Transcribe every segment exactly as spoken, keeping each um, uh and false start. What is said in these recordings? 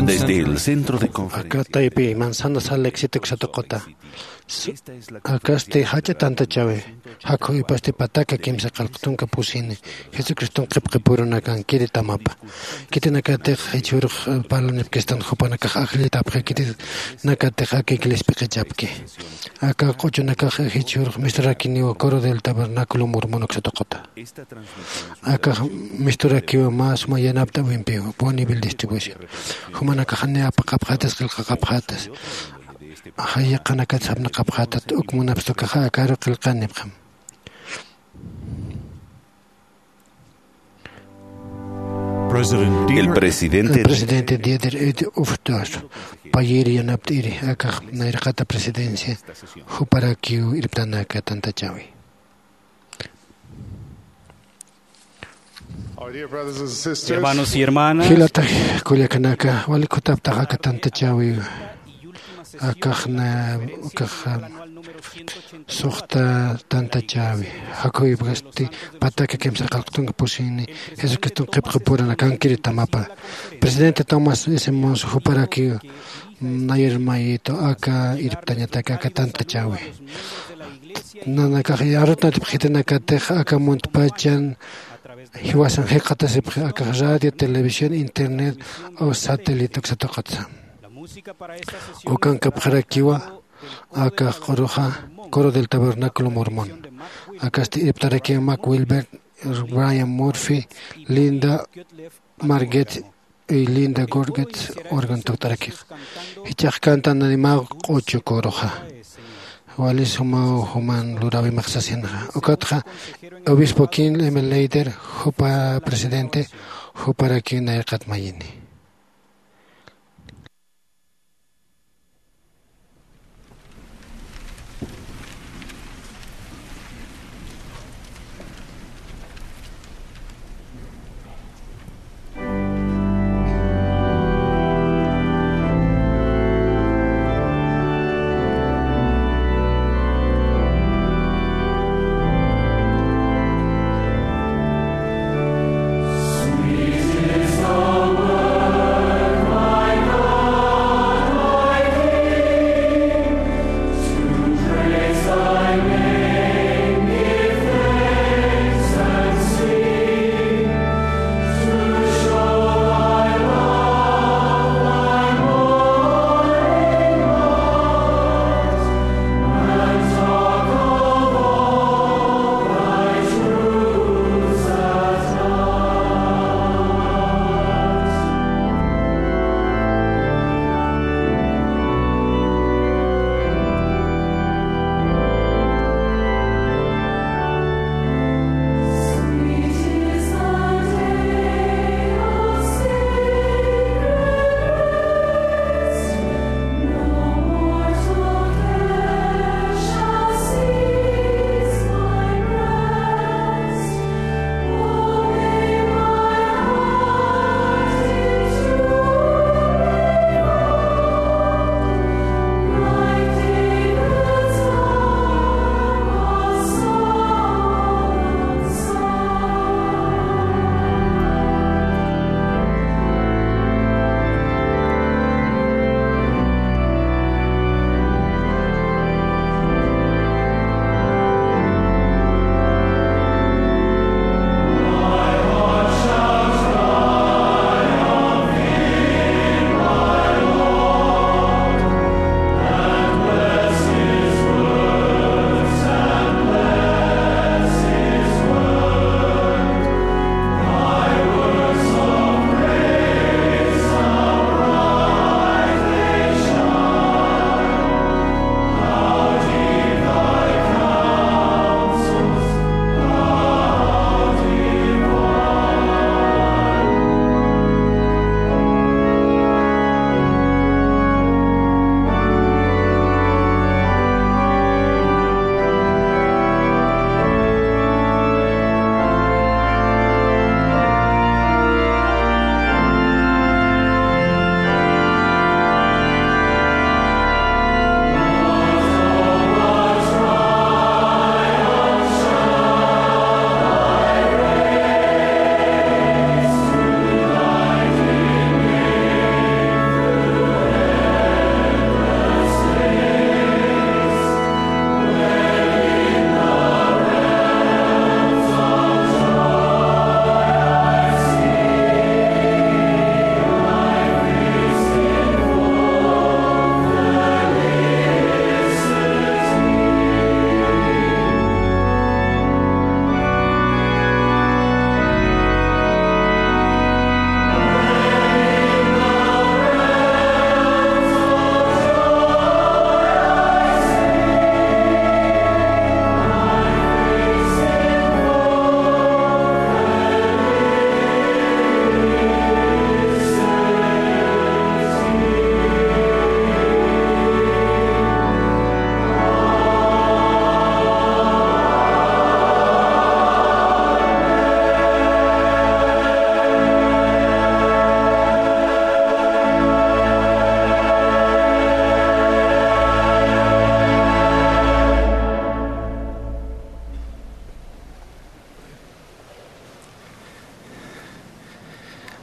Desde el centro de conferencia. Aka taypi Manzana Sal Éxito ksatuqata. Akasti jach'a tantachäwi. Jakhüwipasti pataka kimsa qallqtunka pusini Jesucriston qhipqipurunakankiri tamapa. Khitinakatix jichhürux parlanipkistan jupanakax ajllitapxi, khitinakatix aka iglesiapi qhichapki. Aka q'uchunakax jichhürux misturakiniwa Coro del Tabernáculo Mormón uksatuqata. Akax misturakiwa mä suma yanapt'äwimpiw Bonneville Distribution. Jumanakax ni apaqapxätas, qillqaqapxätas. Jayaqanakats apnaqapxätat, uk munapxtukaxa akaru qillqanipxam. El presidente Dieter F. Uchtdorf payïr yanapt'iri akax nayraqata presidencia juparakiw irptanaka tantachäwi. Our dear brothers and sisters, hermanos y hermanas, jilata kullakanaka, wali kutaptax aka tantachäwi, akax na, akax, suxta tantachäwi. Jakhüwipasti pataka kimsa qallqtunka pusini Jesucriston qhipqipurunakankiri tamapa. Presidente Thomas S. Monson juparakiw nayar mayito aka irptañataki aka tantachäwi. Nanakax arut natipxitinakatix aka muntpachan jiwasan jikxatasipxi akax radio, televisión, internet o satélite uksatuqatsa. Ukankapxarakiwa akax q'uruxa Coro del Tabernáculo Mormón. Akasti irptarakiwa Mac Wilber, Brian Murphy, Linda Marget, y Linda Gorget organ tukt'arakix. Jichhax kantanani mä q'uchu coroxa. Wali sumaw juman luräwimax sasinxa. Ukatxa obispo King M. Leider, jupa presidente, juparakiw nayraqat mayini.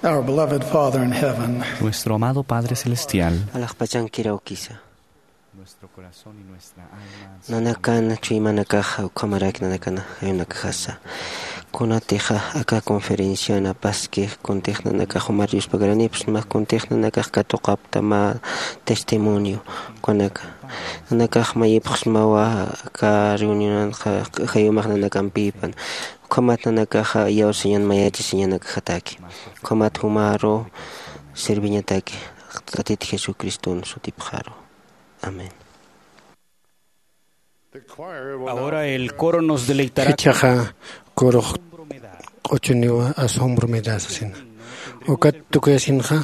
Our beloved Father in heaven, nuestro amado Padre Celestial, alaxpachankiraw kisa. Nuestro corazón y nuestra alma, nanakan chuymanakaxa ukhamaraki nanakana jayunakajasa. Kunatixa aka conferencian apaskix kuntix nanakax jumar Diospagaranipas mä kuntix nanakax katuqapta mä testimonio kunaka. Nanakax mayipxsmawa aka reunionanxa jayumax nanakampipan. Ukhamat nanakaxa iyawsañan mayachasiñanakajataki. Ukhamat jumaru serviñataki Tatit Jesucriston sutipxaru. Amén. Ahora el coro nos deleitará. Jichhaxa kurux q'uchuniwa asombro me da sasina. Ukat tukuyasinxa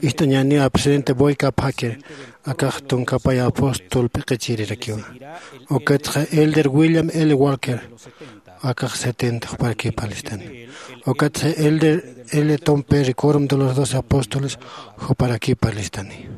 ist'añäniwa presidente Boyka Packer, akax tunka pay apóstol p'iqichirirakiwa. Ukatxa elder William L. Walker, akax setenta juparakipalistani. Ukatxa elder L. Tom Perry, Quórum de los Doce Apóstoles, juparakipalistani.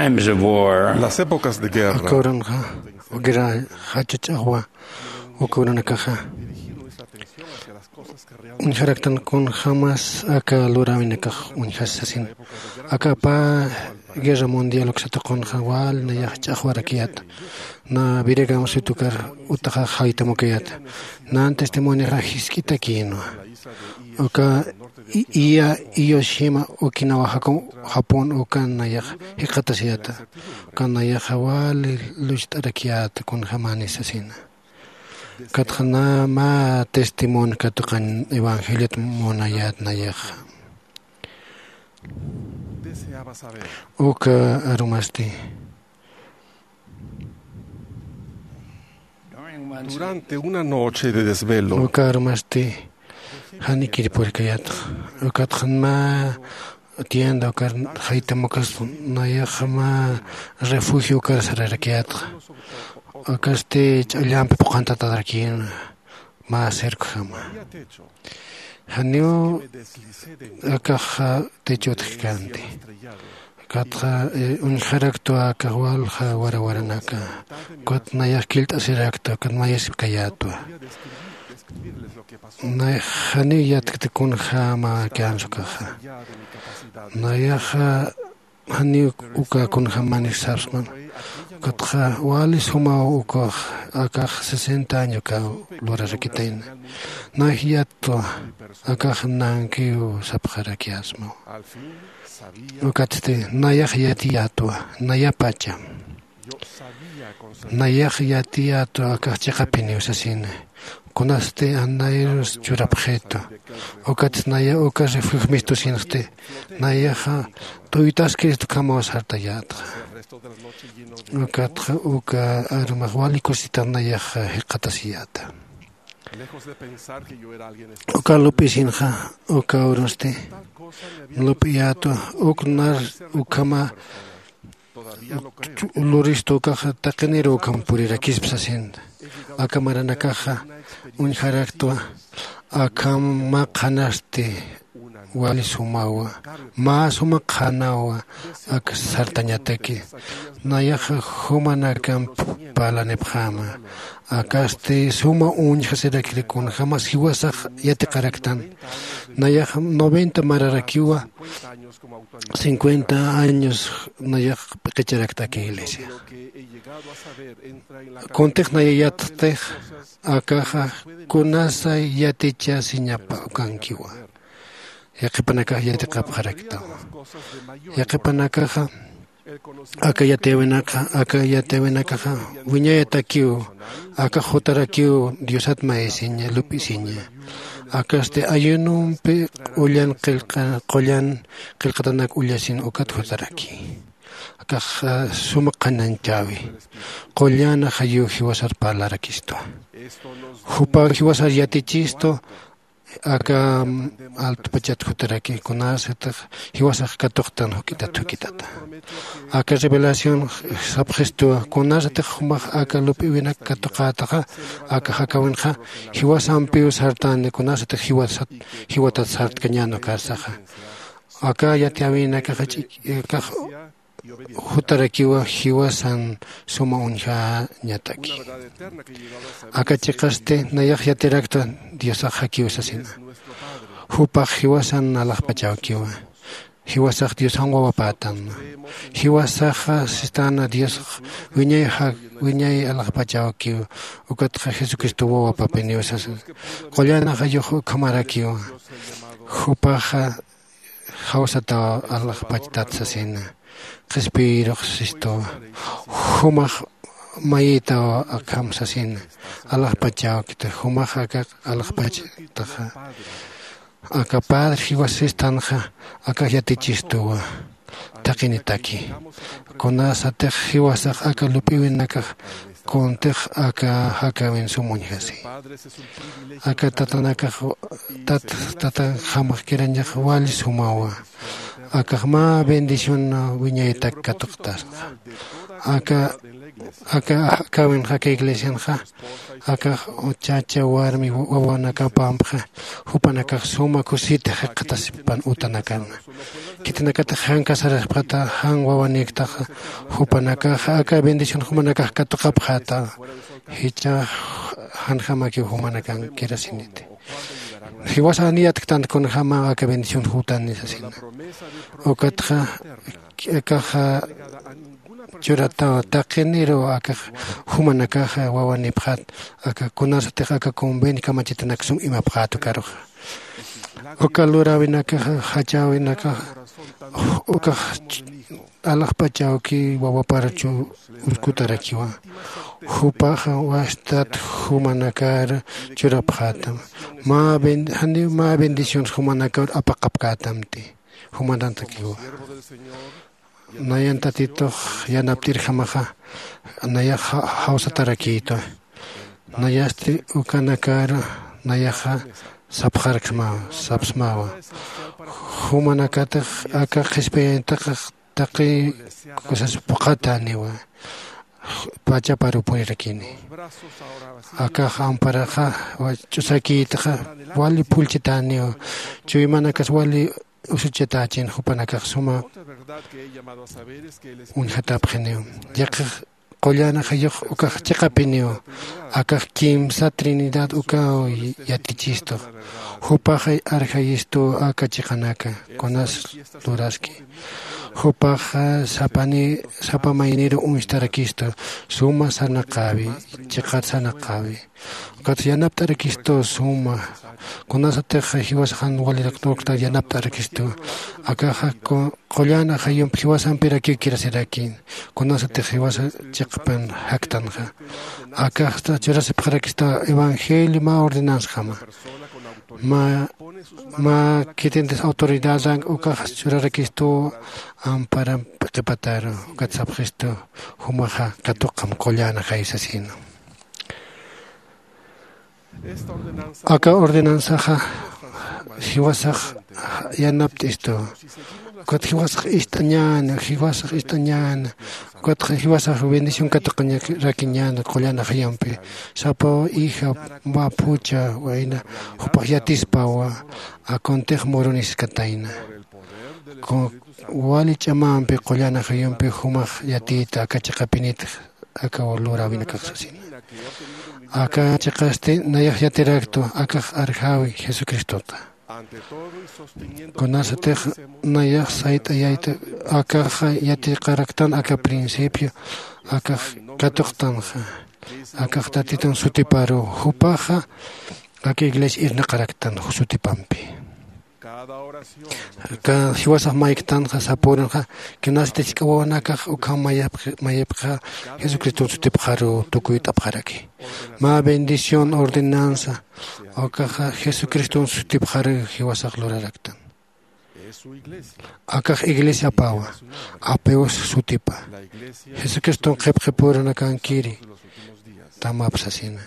Las épocas de guerra. Aka uranxa, guerra jachach'axwa, uka uranakaxa. Uñjaraktan kunjämas aka luräwinakax uñjasi sasin. Aka pä guerra mundial uksat tuqunxa wal nayax ch'axwarakiyäta. Na Billy Graham Smith ukar utaxa jaytam ukayäta. Nan testimonixa jisk'itakïnwa. Uka i-, Iya Iwo Jima Okinawa Jaku-, Japón ukan nayax jikxatasiyäta. Ukan nayaxa wali lucht'arakiyäta kunjämani sasina. Ukatxa na mä testimonio katuqañ evangeliot munayät nayaxa. Uka arumasti. Durante una noche de desvelo. Uka arumasti janikir purkayätxa. Ukatxa mä tienda ukar jaytam ukas nayaxa mä refugio ukar sararakiyätxa. Ukasti ch'allampi phuqhantatarakin mä cercojama. Janiw akaxa techot jikänti. Ukatxa, eh, uñjaraktwa akax walja warawaranaka. Ukat nayax killt'asirakta, ukat mayasipkayätwa. Nayax janiw yatkti kunjäma känsa ukaxa. Nayaxa janiw uka kunjämani sapsman. Ukatxa wali sumaw ukax, akax sesenta año uka lurarakitayna. Nayax yattwa, akax nankiw sapxarakiyäsmaw. Ukatsti nayax yatiyätwa, nayapacha. Nayax yatiyätwa akax chiqapiniw sasina. Kunasti anayrus churapxitu. Ukatsti naya uka refugio mistusinxti. Nayaxa tuytaskirist ukhamaw sartayätxa. Ukatxa uka arumax wali kusita nayaxa jikxatasiyäta. Uka lup'isinxa, uka urusti lup'iyätwa, uk nar ukhama luristu ukaxa taqiniru ukham purirakispa sasin. Aka maranakaxa uñjaraktwa, akham mä qhanasti wali sumawa, mä suma qhanawa, ak sartañataki. Nayaxa jumanakamp parlanipxäma. Akasti suma uñjasirakir kunjämas jiwasax yatiqaraktan. Nayax noventa mararakiwa, cincuenta años nayax p'iqicharakta aka iglesia. Kuntix naya yattix, akaxa kunasa yatichasiñapa ukankiwa. Yaqhipanakax yatiqapxaraktawa. Yaqhipanakaxa aka yatiyäwinakaxa, aka yatiyäwinakaxa wiñayatakiw, akax jutarakiw Diosat mayisiña, lup'isiña. Akasti ayunompi qullan qillqa-, qullan qillqatanak ullasin ukat jutaraki. Akax, ah, suma qhanañchäwi. Qullan ajayiw jiwasar parlarakistwa. Jupaw jiwasar yatichistu, aka, mm, altupachat jutaraki, kunasatix jiwasax katuqtan juk'itat juk'itata. Aka revelación sapxistwa, kunasatix jumax aka lup'iwinak katuqätaxa, aka jakawinxa, jiwasampiw sartani, kunasatix jiwasat, jiwatat sartkañäni ukarsaxa. Aka yatiyäwinakaxa ch'ik-, akax jutarakiwa jiwasan suma uñjañataki. Aka chiqasti nayax yatiraktwa Diosax jakiw sasina. Jupax jiwasan alaxpachawkiwa. Jiwasax Diosan wawapätan. Jiwasaxa sistäna Diosax wiñay ja-, wiñay alaxpachawkiw. Ukatxa Jesucristo wawapapiniw sasa. Qullan ajayux ukhamarakiwa. Jupaxa jawsataw alaxpachtat sasina. Qhispiyirux sistuwa. Jumax mayitaw akham sasina. Alaxpachawkita, jumax aka alaxpachtaxa. Aka padre jiwas sistanxa, aka yatichistuwa. Taqinitaki. Kunasatix jiwasax aka lup'iwinakax, kuntix aka jakawin sum uñjasi. Aka tatanakax, tat-, tatanjamax kirañax wali sumawa. Akax mä bendición wiñaytak katuqtasxa. Aka aka akäwinxa aka iglesianxa akax chacha warmi wawanakapampxa jupanakax suma kusita jikxatasipan utanakarna. Khitinakatix jan casarasipxata jan wawanïktaxa jupanakaxa aka bendición jumanakax katuqapxäta. Jichhax janjamakiw jumanakan kirasiniti. Jiwasan niyatktan kunjämaw aka bendición jutani sasina. Ukatxa akaxa churataw taqiniru akax jumanakaxa wawanïpxät aka kunasatix aka convenio kamachitanak sum imapxät ukaruxa. Uka luräwinakaxa jachäwinakaxa ukax alaxpachawki wawaparuchu uskutarakiwa. Jupaxa wastat jumanakar churapxätam mä ben- janiw mä bendiciones jumanakar apaqapkätamti. Jumanantakiwa nayan tatitux yanapt'irjamaxa nayax jawsatarakïtwa. Nayasti ukanakar nayaxa sapxarksmawa sapsmawa. Jumanakatix aka qhispiyañataqax taqi kusas phuqhatäniwa. Pachaparu purirakini. Akax amparaxa ch'usakïtxa wali phullchitäniwa. Chuymanakas wali usuchatächin jupanakax suma uñjatapxiniw. Yaqhix qullan ajayux ukax chiqapiniw. Akax kimsa trinidad ukaw yatichistux. Jupax arjayistuw aka chiqanaka kunas luraski. Jupax sapa mayniru uñstarakistu suma sarnaqäwi chiqat sarnaqäwi. Ukat yanapt'arakistu suma kunasatix jiwasax jan waliraqt'ukta yanapt'arakistu. Akaxa qullan ajayump jiwasampirakiw kirasirakin kunasatix jiwasa chiqpan jaktanxa. Akaxta churasipxarakista evangelio mä ordenanzajama. Mä mä khitintis autoridadan ukax churarakistu amparamp qhipataru. Ukat sapxistu jumaxa katuqam qullan ajay sasina. Aka ordenanzaxa jiwasax yanapt'istu. Ukat jiwasax ist'añäna jiwasax ist'añäna. Ukat jiwasax bendición katuqañarakiñäna qullan ajayumpi. Sapa hija mä phucha wayna jupax yatispawa. Akuntix muruniskatayna. Wali ch'amampi qullan ajayumpi jumax yatiyta aka chiqapinitix aka luräwinakax sasina. Aka chiqasti nayax yatiraktwa akax arjawi jesucristota. Kunasatix nayax sayt'ayayta akaxa yatiqaraktan aka principio akax katuqtanxa. Akax tatitun sutiparu jupaxa aka iglesia irnaqaraktan sutipampi. Jiwasax mayktanxa sapürinxa kinasti jisk'a wawanakax ukham mayipxa jesucriston sutipxaru tukuyt'apxaraki. Mä bendición ordenanza ukaxa jesucriston sutipxaru jiwasax luraraktan. Akax iglesiapawa apeos sutipa jesucriston qhipqhipürunakankiri tamap sasina.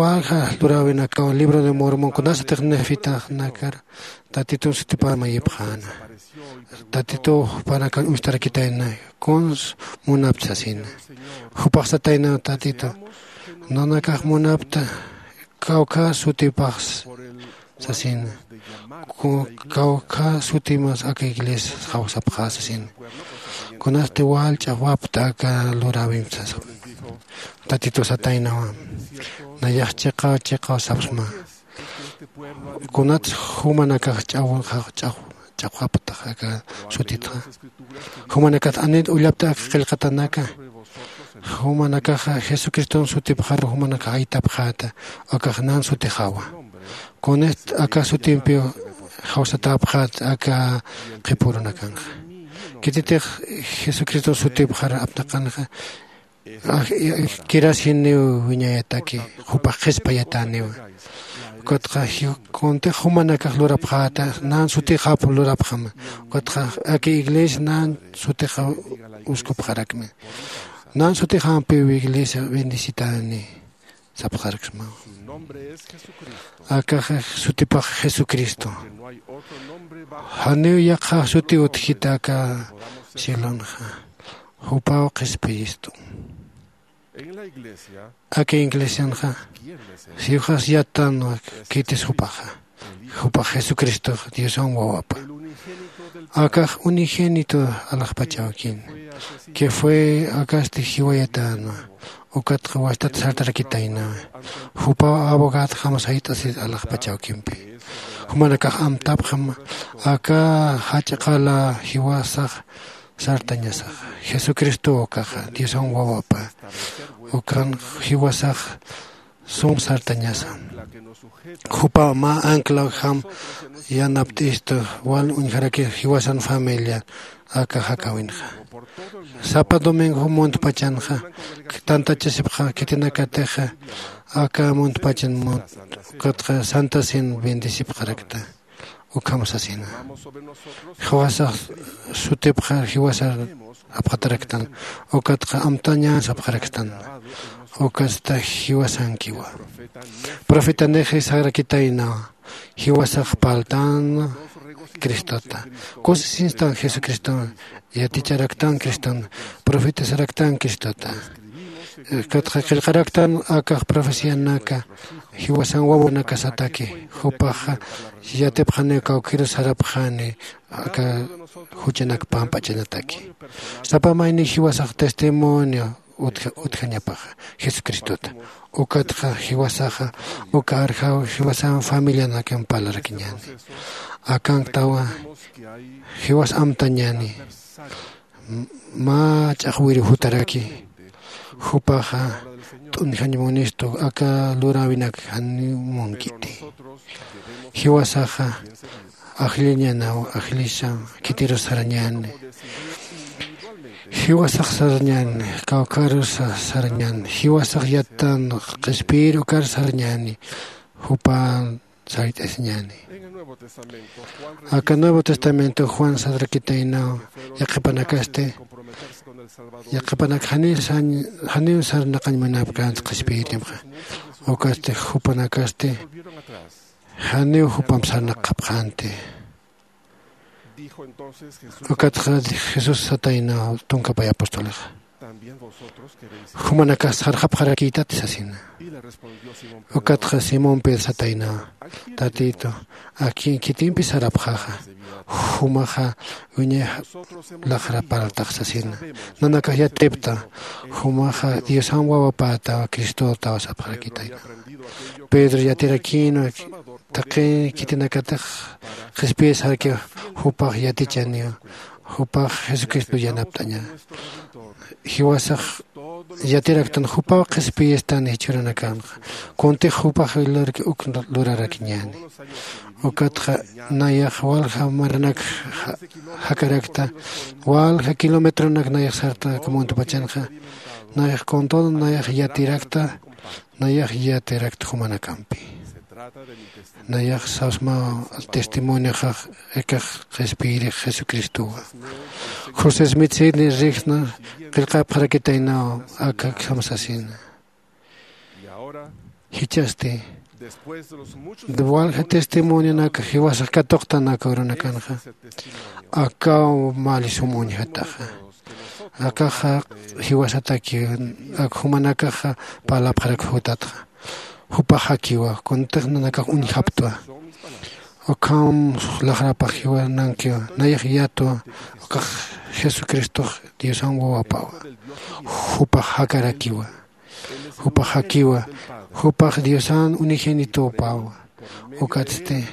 Walja luräwinakaw libro de mormon kunasatix nefitaxnakar tatitun sutipar mayipxäna. Tatituw jupanakar uñstarakitayna kuns munapta sasina. Jupax sataynaw tatituw nanakax munapta kawkha sutipax sasina. Kawkha sutimas aka iglesias jawsapxä sasina. Kunasti wal ch'axwapta aka luräwimp sasa. Tatituw sataynawa nayax chiqaw chiqaw sapsma. Kunats jumanakax ch'aw ch'axwaptax aka sutitxa. Jumanakax anit ullapta aka qillqatanaka. Jumanakaxa jesucriston sutipxaru jumanakax aytapxäta. Akax nan sutixawa kunist aka sutimpiw jawsatäpxät aka qhipürunakanxa. Khititix jesucriston sutipxar apnaqanxa kirasiniw wiñayataki jupax qhispayatäniwa. Ukatxa kuntix jumanakax lurapxäta nan sutixap lurapxama. Ukatxa aka iglesia nan sutixaw uskupxarakmi. Nan sutixampiw iglesia bendicitäni. sapxaraksma. Akaxa sutipax jesucristo. Janiw yaqha suti utjita aka cielonxa. Jupaw qhispiyistu. Aka iglesianxa siwxas yattanwa khitis jupaxa. Jupax jesucristox diosan wawapa. Akax unigénito alaxpachawkin. Que fue akasti jiwayatänwa. Ukatxa wastat sartarakitaynawa. Jupaw abogadjam sayt'asit alaxpachawkimpi. Jumanakax amtapxam aka jach'a qala jiwasax sartañasax. Jesucristow ukaxa diosan wawapa. Ukan jiwasax sum sartañasa. Jupaw mä anclawjam yanapt'istu wal uñjarakir jiwasan familia. Aka jakäwinxa sapa domingo muntpachanxa tantachasipxa khitinakatixa. Aka muntpachan mut ukatxa santa cena bendecipxarakta. Ukham sasina jiwasax sutipxa jiwasar apxataraktan. Ukatxa amtañän sapxaraktan. Ukatsta jiwasankiwa. Profetanixi sarakitaynawa. Jiwasax parltan cristota. Kusisinstan jesucriston. Yaticharaktan criston. Profetasaraktan cristota. Ukatxa qillqaraktan akax profecianaka jiwasan wawanakasataki. Jupaxa yatipxaniw kawkhiru sarapxani aka juchanak pamp'achanataki. Sapa mayni jiwasax testimonio utjañapaxa jesucristota. Ukatxa jiwasaxa uka arjaw jiwasan familianakan parlarakiñäni. Akanktawa jiwas amtañäni. Mä ch'axwiru jutaraki jupaxa t'unjañ munistu aka luräwinak janiw munkiti. Jiwasaxa ajlliñänaw ajllisa khitirus sarañäni. Jiwasax sarañäni kawkharus sarañäni jiwasax yattan qhispiyir ukar sarañäni. Jupan sayt'asiñäni. Aka nuevo testamento juan sadrakitaynaw yaqhipanakasti yaqhipanak janiw sarnaqañ munapkänti qhispiyirimxa. Ukasti jupanakasti janiw jupamp sarnaqapxänti. Ukatxa jesús sataynaw tunkapay apostolixa. Jumanakas sarxapxarakïtati sasina. Ukatxa simón pedro sataynaw tatitu, akin khitimpi sarapxaxa jumaxa wiñay laxrapartax sasina. Nanakax yatipta jumaxa diosan wawapätawa cristotawa sapxarakitayna. Pedro yatirakïnwa taqi khitinakatix qhispiyasarki jupax yatichaniw. Jupax jesucristo yanapt'aña. Jiwasax yatiraktan jupaw qhispiyistan jichhüranakanxa. Kuntix jupax lurki uk lurarakiñäni. Ukatxa nayax walja maranak jakarakta walja kilometronak nayax sarta kumuntupachanxa. Nayax con todo nayax yatirakta nayax yatirakta jumanakampi. Nayax sasmaw testimonioxax ikax qhispiyirix jesucristowa. José smith sidni rixna qillqapxarakitaynaw. Akakjam sasina. Jichhasti walja testimonionak jiwasax katuqtanaka urunakanxa. Akaw mali sum uñjataxa. Akaxa jiwasataki ak jumanakaxa parlapxarak jutatxa. Jupax jakiwa kuntix nanakax uñjaptwa. Ukham laxrapax jiwanankiwa nayax yatwa. Ukax jesucristox diosan wawapawa. Jupax jakarakiwa. Jupax jakiwa. Jupax diosan unigénitopawa. Ukatsti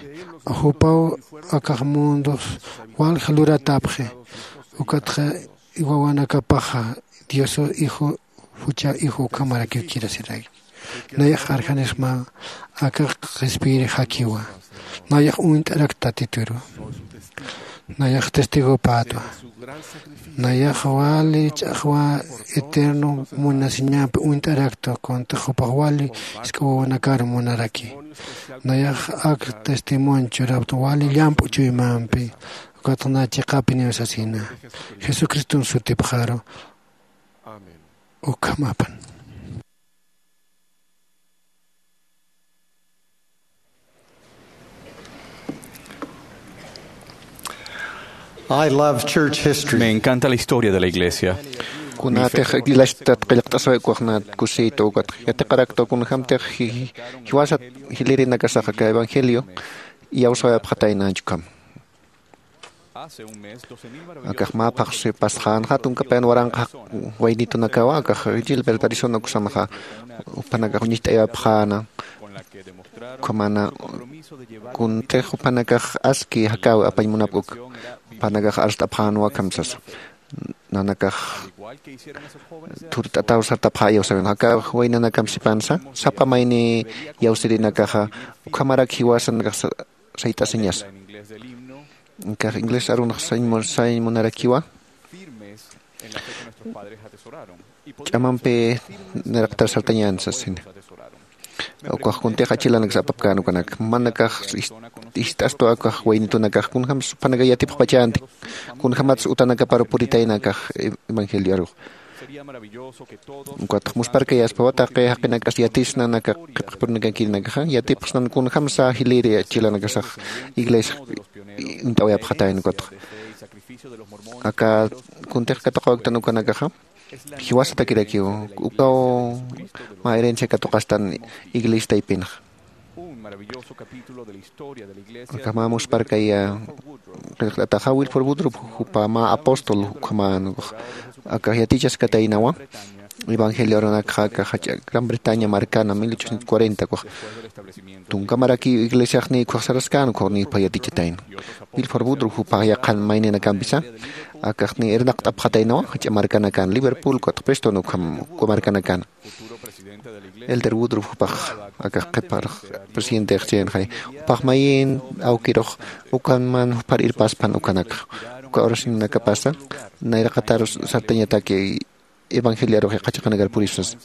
jupaw akax mundos walja luratapxi. Ukatxa wawanakapaxa dioso hijo jucha hijo ukhamarakiw kirasiraki. Nayax arjanisma akax qhispiyiri jakiwa. Nayax uñt'arakta tatituru. Nayax testigopätwa. Nayax wali ch'axwa eterno munasiñampi uñt'arakta kuntix jupax wali isk'awawanakar munaraki. Nayax ak testimonio churapta wali llamp'u chuymampi. Ukatxa na chiqapiniw sasina jesucriston sutipxaru. Ukhamapan. I love church history. Me encanta la historia de la iglesia. Kunatix iglesiat qillqt'asaw ukaxnat kusïtu ukat yatiqaraktu kunjämtix ji- jiwasat jilïrinakasaxa aka evangelio iyawsawayapxatayna ukham. Akax mä phaxsi pasxänxa tunka payan waranqa waynitunakawa akax Gilbert Arizona uksanxa juphanakax uñicht'ayapxäna. Ukhamana kuntix juphanakax aski jakäwi apañ munapk'uk juphanakax arst'apxänwa akham sasa. Nanakax thurt'ataw sartapxä iyawsäwin jakaw waynanakam sipansa sapa mayni iyawsirinakaxa ukhamarak jiwasanakax sayt'asiñasa. Inkax inglés arunx sañ munarakiwa ch'amampi niraqtar sartañän sasini. Ukax kuntix achilanaksa apapkän ukanak manakax ist'astu akax waynitunakax kunjämsa juphanakax yatipxpachänti kunjämatsa utanakaparu puritayna akax evangelio arux. Ukatx musparkayaspawa taqi jaqinakas yatisna naka qhipqipurinakankirinakaxa yatipxsnan kunjämsa jilïri achilanakasax iglesia uñt'awayapxatayna ukatxa. Aka kuntix katuqawaktan ukanakaxa jiwasatakirakiw ukaw mä herencia katuqastan iglesia taypinxa. Aka mä musparkaya qillqt'ataxa Wilford Woodruff jupa mä apóstol ukhaman aka yatichaskataynawa evangelio arunakxa aka jach'a Gran Bretaña markana mil ochocientos cuarenta ukax tunka marakiw iglesiaxniy ukhax saraskän ukhaw niy jupha yatichatayna. Wilford Woodruff jupax yaqhan mayninakampisa akaxniy irnaqt'apxataynawa jach'a markanakan Liverpool ukatx Preston ukham uka markanakana. Elder Woodruff jupax akax qhiparux presidentexchaynaxay jupax mayin awkirux ukanman jupar irpaspan ukanakxa uka oracionanakapasa nayraqatar sartañataki evangeliarux yaqha chiqanakar purisas.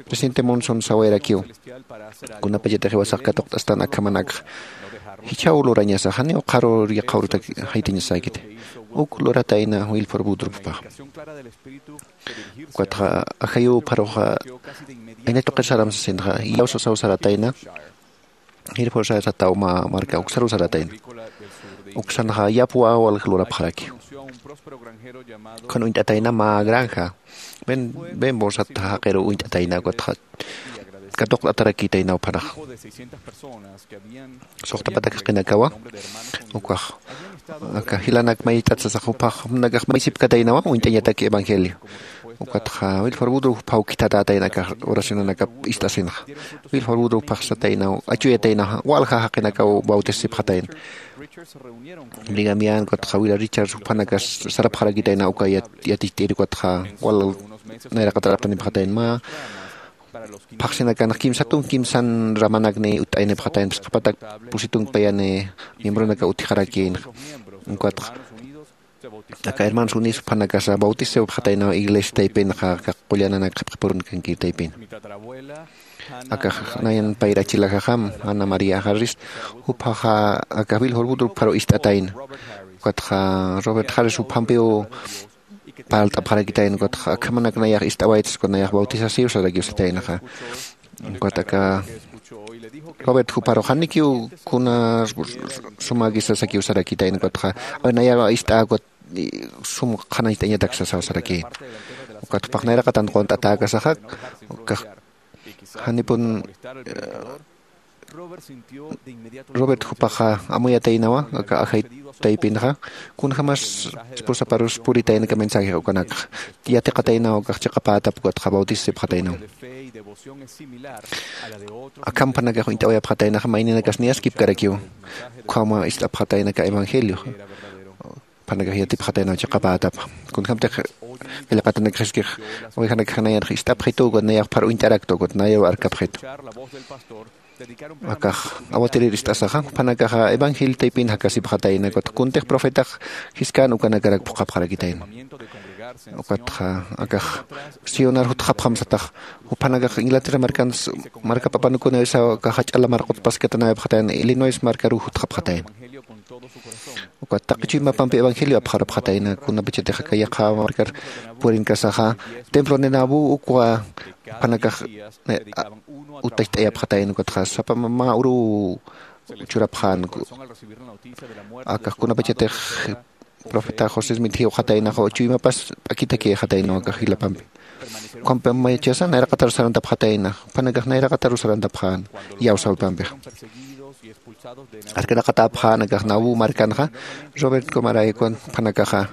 Presidente Monson sawayarakiw kunapachatix jiwasax katuqt'astan akhamanakxa jichhaw lurañasa janiw qharur yaqha urutaki jaytañasäkiti. Uk luratayna Wilford Woodruffpax ukatxa ajayupxaruxa ayna tuqir saram sasinxa iyawsasaw saratayna. Jirphursaya sataw mä marka uksaruw saratayna uksanxa yapwa walja lurapxaraki. Ukhan uñt'atayna mä granja bembor sat jaqiru uñt'atayna ukatxa katuqt'atarakïtayna uphanax. Suxtapatak jaqinakawa ukax aka jilanak mayt'at sasax juphax jumanakax maysipkataynawa uñt'añatak evangelio. Ukatxa Wilford Woodruff juphaw khithatätayna aka oracionanakap ist'asinxa. Wilford Woodruff phaxsataynaw achuyataynaxa walja jaqinakaw bautisipxatayna. Brigamian ukatxa wila Richards juphanakas sarapxarakitayna uka yaticht'iri ukatxa wal nayraqataraptanipxatayna mä phaxsinakanx kimsatun kimsan ramanakni ut'aynipxatayna phisqapatak pusitun payani miembronaka utjxarakïnxa. Ukatxa aka hermanos unis juphanakasa bautisipxataynaw iglesia taypinxa aka qullananak qhipqipurunakankir taypina. Akax nayan payra achilaxaxam Ana María Harris juphaxa aka Wilford Woodruffparu ist'atayna. Ukatxa Robert Harris juphampiw parlt'apxarakitayna ukatxa akhamanak nayax ist'awaytas ukat nayax bautisasiw sarakiw sataynaxa. Ukat aka Robert juparu janikiw kuna sumäkisa sakiw sarakitayna ukatxa nayax ist'ä ukat sum qhanañcht'añatak sasaw sarakïna. Ukat jupax nayraqatan qunt'atäkasaxa ukax janipun Robert jupaxa amuyataynawa aka ajay taypinxa kunjämas esposaparus puritayna aka mensaje ukanakxa yatiqataynaw ukax chiqapätap ukatxa bautisipxataynaw. Akham juphanakax uñt'awayapxataynaxa mayninakas niyaskipkarakiw ukhama ist'apxatayna aka evangelio. Juphanakax yatipxataynaw chiqapätapa kunjämtix qillqatanakxiskix ovejanakxa nayanx ist'apxitu ukat nayax phar uñt'araktu ukat nayaw arkapxitu. Akax awatirir ist'asaxa juphanakaxa evangelio taypin jakasipxatayna ukatxa kuntix profetax jiskän ukanakarak phuqhapxarakitayna. Ukatxa akax sionar jutxapxam satax juphanakax Inglaterra markans markap apanukunaysa akax jach'a lamar qutpaskatanayapxatayna Illinois markaruw jutxapxatayna. Ukat taqi chuymapampi evangelio apxarapxatayna kunapachatix aka yaqha markar purinkasaxa templo de Nauvoo ukwa juphanakax utacht'ayapxatayna ukatxa sapa mä uruw churapxän. Akax kunapachatix profeta José Smith jiwxataynaxa, chuymapas p'akitaki jataynaw akax jilapampi. Ukham mayachasa nayraqataru sarantapxatayna, jupanakax nayraqataru sarantapxän iyawsawipampixa. Arkanaqatäpxän akax Nauvoo markanxa, Robert Comaraykuwan jupanakaxa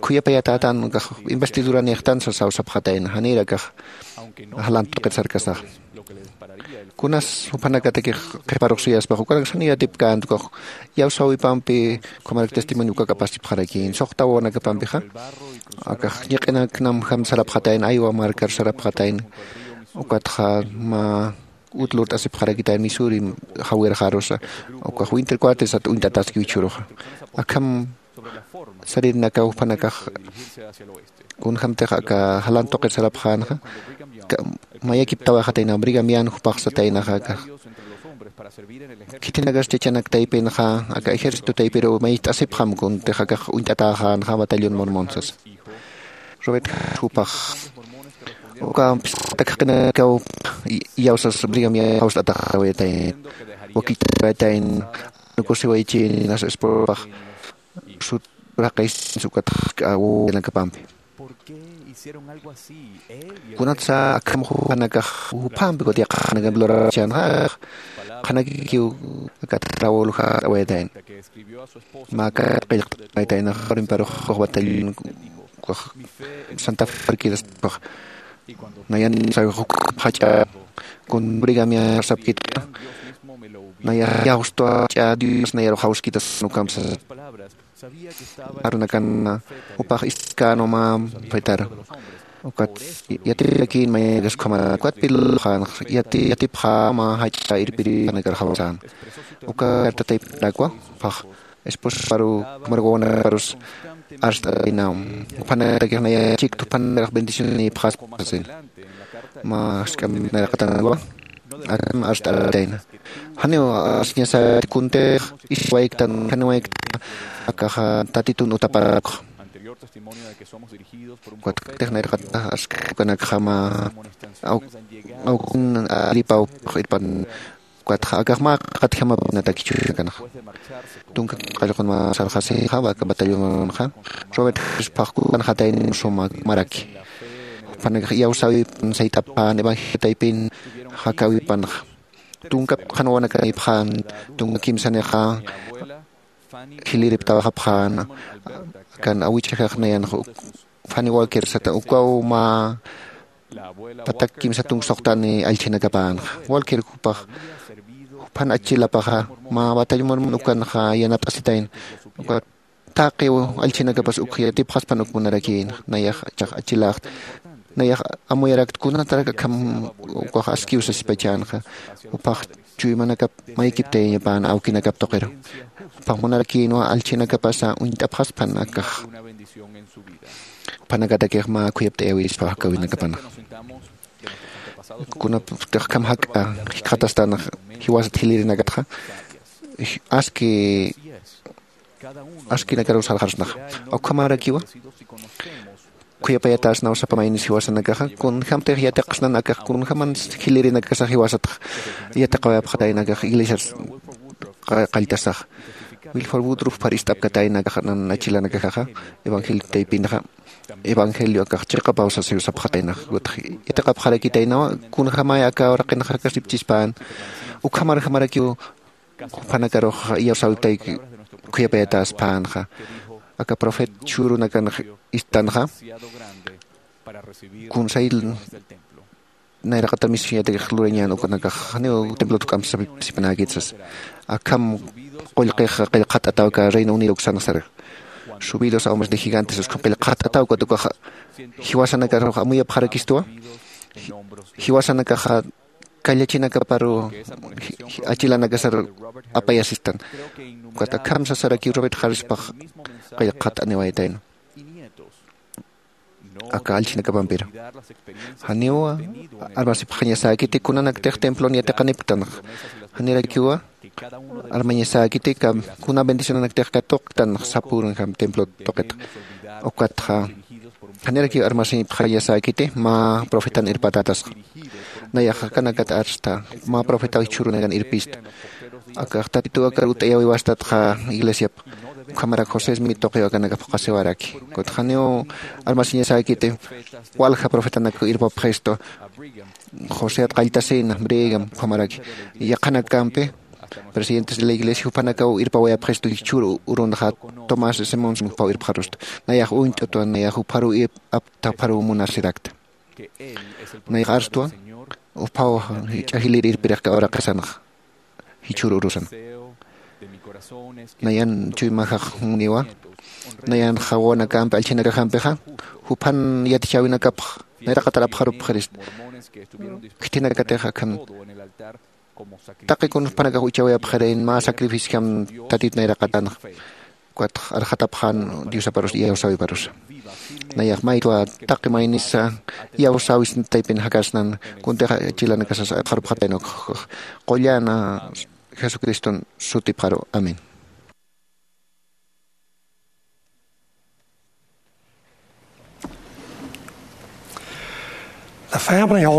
khuyapayatatan akax investiduranïxtan sasawsapxatayna, janir akax jalant tuqit sarkasaxa. Kunas jupanakatakix qhiparux suyaspax ukanaksa janiw yatipkänti ukax iyawsawipampi, ukhamarak testimonio ukak apasipxarakïn suxta wawanakapampixa. Akax ñiq'inaknam jam sarapxatayna, Iowa markar sarapxatayna. Ukatxa mä ut lurt'asipxarakitayna Missouri jawirxarusa, ukax winter quarter sat uñt'ataski jichhüruxa. Akham saririnakaw jupanakax kunjämtix aka jalan tuqir sarapxänxa, mayakiptawayxatayna Brigham Young jupax sataynaxa akax. Khitinakas chachanak taypinxa aka ejército taypiruw mayt'asipxam kuntix akax uñt'atäxänxa Batallón Mormon sasa. Robert Harris jupax uka phisqatak jaqinakaw iyawsas Brigham Young jawst'ataxawayatayna, wakicht'awayatayna, nukusiwaychinas esposapax sut raqis ukatx k'awinakapampi. Kunatsa akham jupanakax jupampi ukat yaqhanakampi lurarchanxa, qhanakikiw akat Raúl jawst'awayatayna. Mä kat qillqt'awayataynax Orimparux batallón Santa Fe markiras nayan sawi jach'a kun Brigham Young sapkita, naya jawstwa jach'a Dios nayarux jawskitas ukamsa. Arunakan jupax iskänwa mä profetar. Ukat yatirakïn mayakas ukhamana ukat pilxän yatipxäma jach'a irpiripanakar jawsän. Uka carta taypinakwa jupax esposaparu ukhamar wawanakaparus arst'ataynaw. Jupanakatakix naya chikta jupanakarax bendicionanïpxaspa sasin. Mä jask'amp nayraqatanwa akham arst'atayna. Janiw arsiñasäti kuntix iswayktan janiwayktan akaxa tatitun utaparakxa. Ukat nayraqatax aski ukanakxa mä awkin aripawpix irpan. Ukatxa akax mä qatjamapinatakichunakanaxa. Tunka qallqun mä sarxasixa aka batallonxa Robert Harris phaxkukanxatayna suma maraki. Jupanakax iyawsäwipan sayt'apxän evangelio taypin jakäwipanxa. Tunka qhanwanakanïpxän tunka kimsanixa jiliriptawxapxän. Akan awich'ajax nayanxa Fanny Walker sata ukaw mä patak kimsa tunka suxtani allchhinakapänxa. Walker jupax juphan achilapaxa mä batallón Mormon ukanxa yanapt'asitayna. Ukat taqi allchhinakapas uk yatipxaspan uk munarakïna. Nayax chax achiläxt nayax amuyarakta kunatarak akham ukax askiw sasipachänxa. Jupax chuymanakap maykiptayañapäna awkinakap tuqiru. Jupax munarakïnwa allchhinakapasa uñt'apxaspan akax jupanakatakix mä khuyapt'ayäwispa jakäwinakapanxa. Kunaptix akham jak'a jikxatastan jiwasat jilirinakatxa aski askinakaruw sarxarsnaxa. Ukhamarakiwa khuyapayatäsnaw sapa maynis jiwasanakaxa kunjämtix yatiqsnan akax kunjäman jilirinakasax jiwasatx yatiqawayapxatayna akax iglesias qalltasaxa. Wilford Woodruff phar ist'apkatayna akax nan achilanakaxaxa evangelio taypinxa evangelio akax chiqapaw sasiw sapxataynax. Yatiqapxarakitaynawa kunjämay aka uraqinxarakasipchispän ukhamarjamarakiw juphanakarux iyawsäwiptayki khuyapayatäspänxa. Aka profet chhurunakan istanxa kunsay nayraqata misionatakix lurañän ukanakax janiw templot k'amsasipnäkit sas. Akham qullqix qillqat'ataw aka Reino Unido uksanxa sar subidos a hombres de gigantes ukham qillqat'ataw ukat ukax jiwasanakarux amuyapxarakistwa. Jiwasanakaxa kallachinakaparu achilanakasar apayasistan. Ukat akham sasarakiw Robert Harrispax qillqat'aniwayatayna aka allchinakapampiru. Janiw armasipxañasäkiti kunanaktix templon yatiqanipktanx. Janirakiwa armañasäkiti kuna bendicionanaktix katuqktanx sapürunjam templo tuqitxa. Ukatxa Janirakiw armasiñpxañasäkiti mä profetan irpatatasxa. Nayax akanakat arsta mä profetaw jichhürunakan irpista. Akax tatituw akar ut'ayawiwastatxa iglesiap. Ukhamarak josesmi tuqiw akanakap qasiwaraki. Kutxaniw armasiñasäkiti walja profetanakaw irpapxistu. Joseat qalltasina brigam ukhamaraki yaqhanakampi presidentes de la iglesia juphanakaw irpawayapxistu jichhür urunxa. Tomás simón simi juphaw irpxarustu. Nayax uñt'utwa nayax jupharuw apta jupharuw munasirakta. Nayax arstwa juphaw ch'ajilir irpirixka uraqisanxa jichhür urusan. Nayan chuymajax juniwa nayan jawanakampi allchinakaxampixa juphan yatichäwinakapx nayraqatar apxarupxirista. Khitinakatix akhan taqi kunjpanakax uchawayapxirayn mä sacrificiojam tatit nayraqatanxa. Ukatx arxatapxän diosaparus iyawsäwiparusa. Nayax maytwa taqi maynisa iyawsäwisna taypin jakasnan. Kuntixa chilanakasas apxarupxatayna ukxax qullana jesucriston sutipxaru. Amén.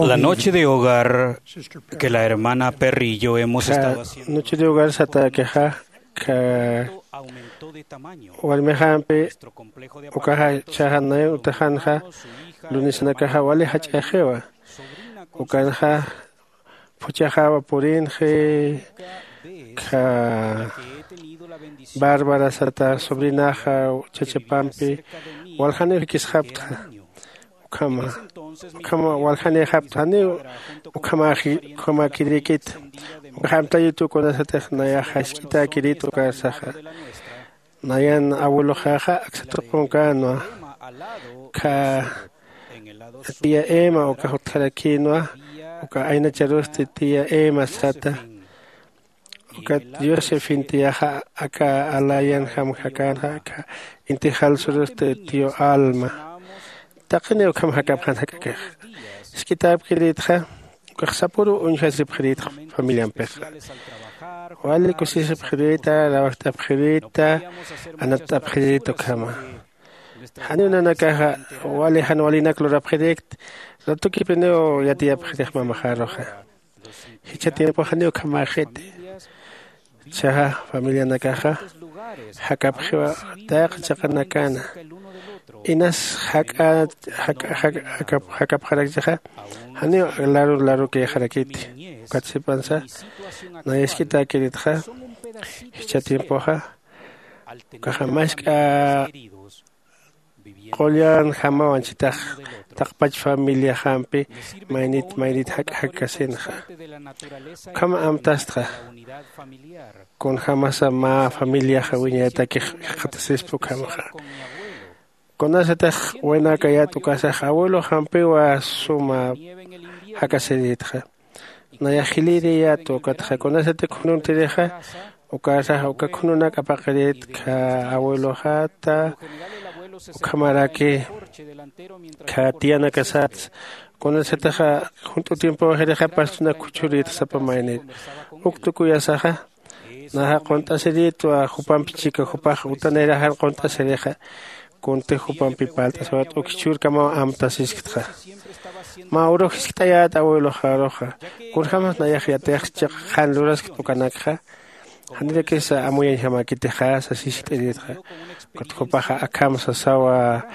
La noche de hogar que la hermana Perry y yo hemos estado haciendo noche de hogar satakixa ka warmixampi ukaxa chaxa nayan utaxanxa lunisanakaxa wali jach'axiwa. Ukanxa phuchaxawa purinxi kha bárbara sata sobrinaxa chachapampi waljaniw jikisxaptxa. Ukhama ukhama waljanïxaptxa janiw ukhamäkirïkit. Ukax amtayituw kunasatix nayax jask'itäkirit ukarsaxa. Nayan abueloxaxa aksa tuqunkänwa kha tía ema uka jutjarakïnwa uka aynacharusti tía ema sata. Ukat dios efin tiyaxa aka alayan jamjakanxa aka inti jalsurusti tío alma. Taqiniw ukham jakapxan jak'akix jisk'itäpkirïtxa. Ukax sapüruw uñjasipxirïtxa familiampixa. Wali kusisipxirïta rawajt'apxirïta anatt'apxirïta ukhama. Janiw nanakaxa wali jan walinak lurapxirïkti. Ratukipiniw yatiyapxirix mamaxaruxa. Jichha tiempoxaniw ukhamäxiti. Chaxa familianakaxa jakapxiwa tayqa chiqanakana inas jak'a jakapxarakchixa. Janiw laru larukïxarakiti. Ukat sipansa nayask'itäkiritxa jichha tiempoxa ukaxa mask'a qullan jamawan chitax taqpach familiaxampi maynit maynit jak'akasinxa. Ukham amtastxa kunjämasa mä familiaxa wiñaytakix jikxatasispa ukhamaxa. Kunasatix waynäkayät ukasax abueloxampiwa suma jak'asirïtxa. Nayax jilïriyät ukatxa kunasati khununtirïxa ukarsax uka khununak apaqirït kha abueloxata ukhamaraki kha tiyanakasatsa. Kunasatixa junt'u tiempoxirixa pastunak khuchhurïtxa sapa maynir uk tukuyasaxa naxa qunt'asirïtwa jupampi chika jupax utaniraxan qunt'asirixa. Kunti jupampi parlt'asiwat uk jichhürkamaw amtasisktxa. Mä urux jiskt'ayät abueloxaruxa kunjämas nayax yatix chiqa qhan luraskt ukanakxa janirakisa amuyañjamäkitixa sas jiskt'irïtxa. Ukat jupaxa akham sasawa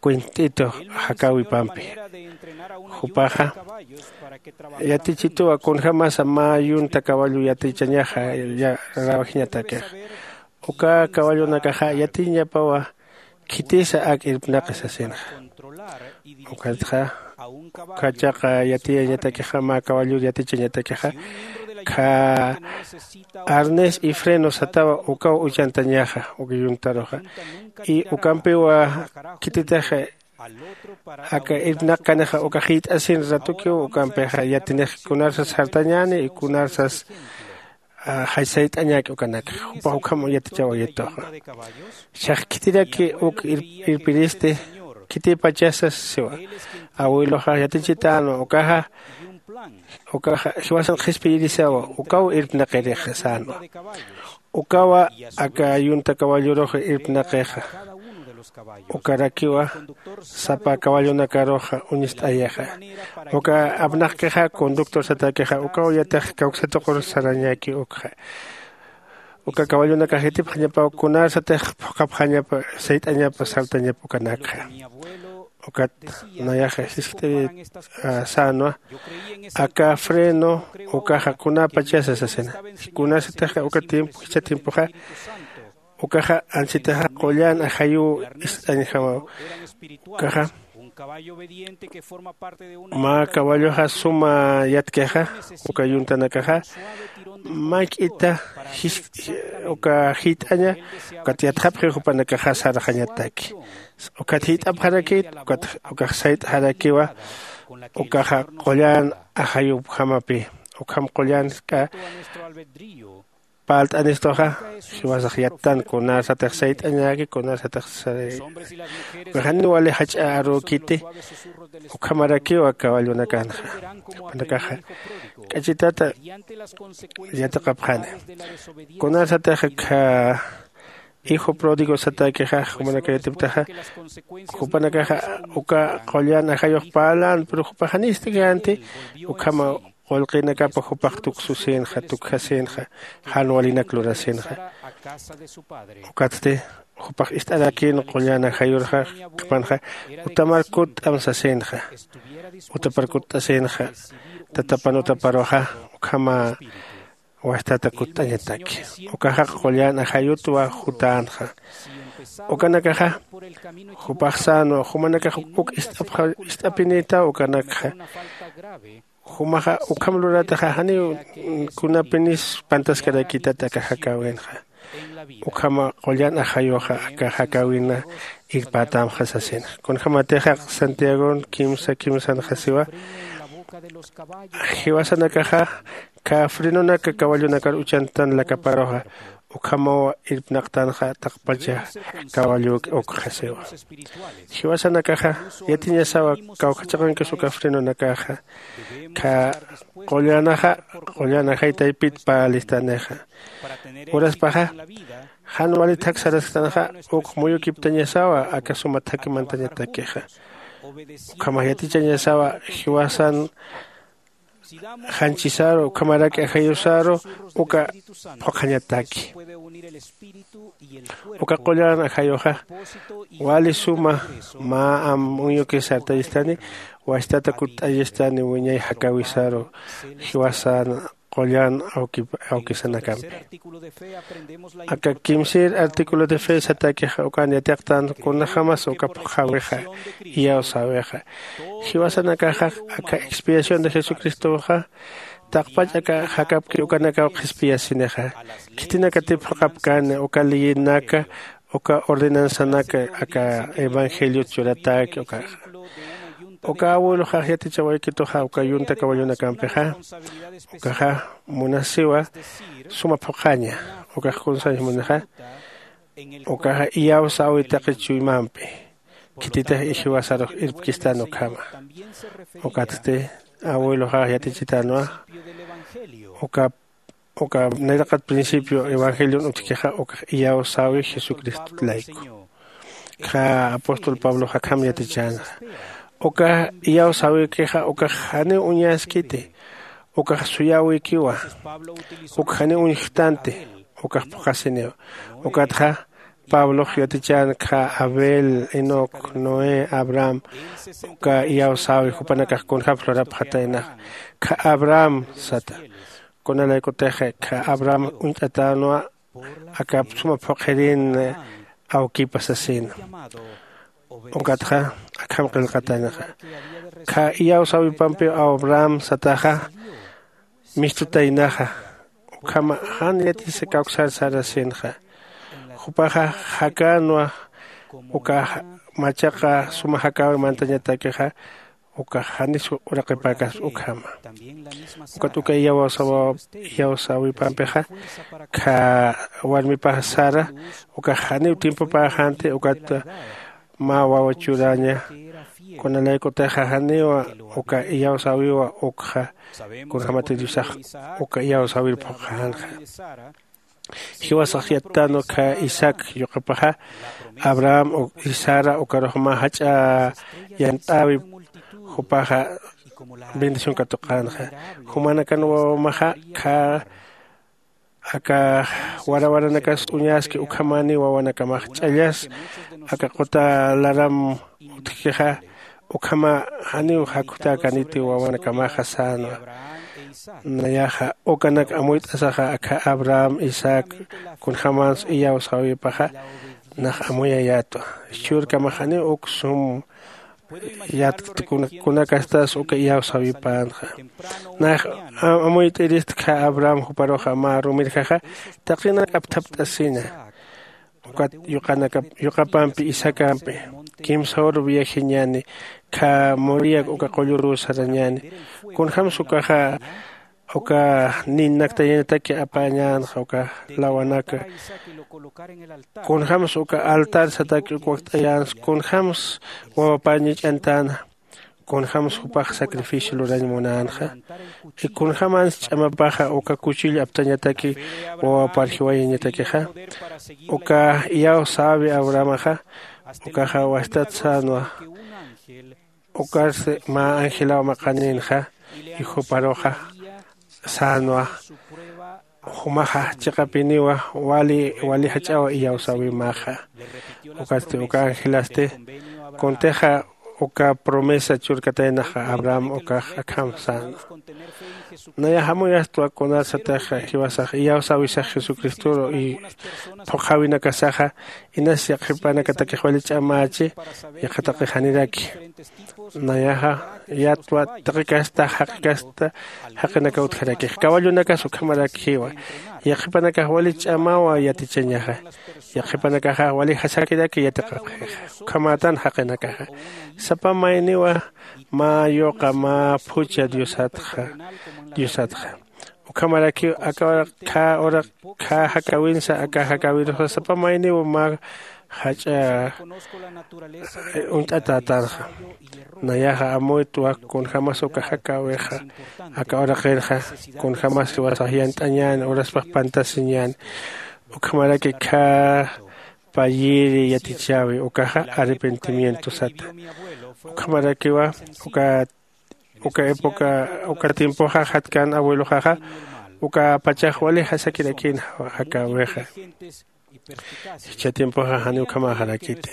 cuent'itu jakäwipampi jupaxa yatichituwa kunjämasa mä yunta caballo yatichañaxa rawajiñatakix. Uka caballonakaxa yatiñapawa khitisa ak irpnaqi sasinxa. Ukatxa ukhachaqa yatiyañatakixa mä caballor yatichañatakixa kha arnés y freno satawa ukaw uchantañaxa uka yuntaruxa. Y ukampiwa khititix aka irpnaqkanixa uka jiyt'asin ratukiw ukampixa yatinix kunarsas jartañäni y kunarsas jachsayt'añäki ukanakxa jupax ukham yatichawayituxa. Chax khitiraki uk irpiristi khitipachasas siwa abueloxa yatichitänwa ukaxa ukaxa jiwasan qhispiyirisawa ukaw irpnaqirixasänwa. Ukawa aka yunta caballorux irpnaqixa Ukarakiwa sapa kawallunakaruxa uñist'ayixa. Uka apnaqkixa conductor satakixa ukaw yatix kawksatuqur sarañäki ukxa. Uka kawallunakax yatipxañapaw kunarsatix phuqhapxañapa sayt'añapa saltañapa ukanakxa. Ukat nayaxa jiskt'iri sänwa aka freno ukaxa kunapachasa sasina. Kunasatixa uka tiempo jichha tiempoxa ukaxa ansitaxa qullan ajayuw ist'añjamaw. Ukaxa mä caballoxa suma yatkixa uka yuntanakaxa mayk'ita uka jiyt'aña ukat yatxapxi jupanakaxa sarxañataki. Ukat jiyt'apxarakit ukat ukax sayt'xarakiwa ukaxa qullan ajayupjamapi. Ukham qullan k'a palt'anistuxa jiwasax yattan kunarsatix sayt'añäki kunarsatix sare. Ukaxaniw wali jach'a arükiti. Ukhamarakiwa caballonakanxa panakaxa k'achitata yatiqapxani. Kunarsatix kha hijo pródigo satäkixax jumanakayatiptaxa jupanakaxa uka qullan ajayux parlan pero jupaxanist'känti. Ukhama qullqinakapa jupax tuksusinxa tukjasinxa jan walinak lurasinxa. Ukatsti jupax ist'arakïn qullan ajayurxa qhipanxa utamar kutt'am sasinxa. Utapar kutt'asinxa tatapan utaparuxa ukhama wastata kutt'añataki. Ukaxax qullan ajayutwa jutänxa. Ukanakaxa jupax sänwa jumanakax uk ist'apinïtaw ukanakxa. Jumaxa ukham lurataxa janiw kunapinis pantaskarakïtat aka jakäwinxa. Ukhama qullan ajayuxa aka jakäwina irpätamxa sasinxa kunjämatixa santiagon kimsa kimsanxa siwa. Jiwasanakaxa kha frenonaka cawallonakar uchantan lakaparuxa ukhamaw irpnaqtanxa taqpacha cawalluk ukxasiwa. Jiwasanakaxa yatiñasawa kawkha chiqankis uka frenonakaxa kha qullanaxa qullan ajay taypit parlistanixa. Uraspaxa jan wali thak sarasktanxa uk muyukiptañasawa aka suma thaki mantañatakixa. Ukhamax yatichañasawa jiwasan janchisaru ukhamarak ajayusaru uka phuqhañataki. Uka qullan ajayuxa wali suma mä am muyuki sartayistani wastata kutt'ayistani wiñay jakäwisaru jiwasan qullan awkisanakampi. Aka kimsir artículo de fe satäkixa ukan yatiqtan kunjämas uka phuqhäwixa iyawsäwixa. Jiwasanakaxa aka expiación de jesucristoxa taqpach aka jakapki ukanakaw qhispiyasinixa. Khitinakatip jaqapkani uka leyinaka uka ordenanzanaka aka evangeliot churatäki ukaxa. Uka abueloxax yatichawaykituxa uka yunta caballonakampixa ukaxa munasiwa suma phuqhaña. Ukax kunsañ munixa ukaxa iyawsäwi taqi chuymampi khititix jiwasarux irpkistan ukhama. Ukatsti abueloxax yatichitanwa uka uka nayraqat principio evangelion utjkixa ukax iyawsäwi jesucristot layku. Kha apóstol pablox akham yatichänxa uka iyawsäwikixa ukax janiw uñaskiti. Ukax suyäwikiwa uk janiw uñjtanti. Ukax phuqhasiniw ukatxa pablox yatichän kha abel enoc noé abraham uka iyawsäwi jupanakax kunjämsa lurapxataynaxa. Kha abraham sata kunalaykutix kha abraham uñt'atänwa akap suma phuqhirin awkipa sasina. Ukatxa akham qillqataynaxa kha iyawsäwipampiw abraham sataxa mistutaynaxa. Ukhama jan yatisa kawksar sarasinxa jupaxa jakänwa uka machaqa suma jakäwi mantañatakixa ukax janis uraqipäkaspa ukhama. Ukat uka iyawsäwipampixa kha warmipax sara ukax janiw tiempopäxänti ukat mä wawa churaña kunalaykutixa janiwa uka iyawsäwiwa ukxa kunjämatir diosax uka iyawsäwir phuqhänxa. Jiwasax yattänwa khä isaac yuqapaxa, abraham y sara ukarux mä jach'a yant'äwi. Jupaxa bendición katuqänxa. Jumanakan wawamaxa khä aka warawaranakas uñaski ukhamäniw wawanakamax ch'allas aka quta laram utjkixa. Ukhama janiw jakhutäkaniti wawanakamaxa sänwa. Nayaxa ukanak amuyt'asaxa akha abraham isaac kunjämans iyawsäwipaxa nax amuyayätwa. Chhurkamax janiw uk sum yatkt kunakastas uka iyawsäwipänxa. Nax amuyt'irist khä abraham juparuxa mä rumirjaxa taqinak apthapt'asina. Ukat yuqapampi isaacampi kimsa uru viajeñäni khä moriak uka qullurüw sarañäni. Kunjämsa ukaxa uka ninnaktayañataki apañänxa uka lawanaka. Kunjämsa uka altar sataki uk wakt'ayänsa kunjämsa wawapäñach'antäna. Kunjämsa jupax sacrificio lurañ munänxa. Kunjämans ch'amapaxa uka kuchillo aptañataki wawapar jiwayañatakixa. Uka iyawsäwi abrahamaxa ukaxa wastat sänwa. Ukarsi mä angelaw maqaninxa y juparuxa sänwa. Jumaxa chiqapiniwa wali wali jach'aw iyawsäwimaxa. Ukatsti uka angelasti kuntixa uka promesa churkataynaxa abraham ukax akham sänwa. Nayax amuyastwa kunarsatix jiwasax iyawsäwisax jesucristoru y phuqhäwinakasaxa inas yaqhipanakatakix wali ch'amächi. Yaqha taqi janiraki nayaxa yatwa taqi kasta jaqi kasta jaqinakaw utjarakix caballonakas ukhamarakiwa. Yaqhipanakax wali ch'amawa yatichañaxa. Yaqhipanakaxa wali jasakiraki yatiqapxixa. Ukhamätan jaqinakaxa sapa mayniwa mä yuqa mä phucha diosatxa. Diosatxa ukhamarakiw aka uraq khä uraq khä jakäwinsa aka jakäwirusa sapa mayniw mä jach'a uñt'atätanxa. Nayaxa amuytwa kunjämas uka jakäwixa aka uraqinxa kunjämas jiwasax yant'añäni uraspax pantasiñäni. Ukhamaraki khä payiri yatichäwi ukaxa arrepentimiento sata. Ukhamarakiwa uka uka época uka tiempoxa jatkan abueloxaxa uka pachax wali jasakirakïn jakäwixa. Jichha tiempoxa janiw ukhamäxarakiti.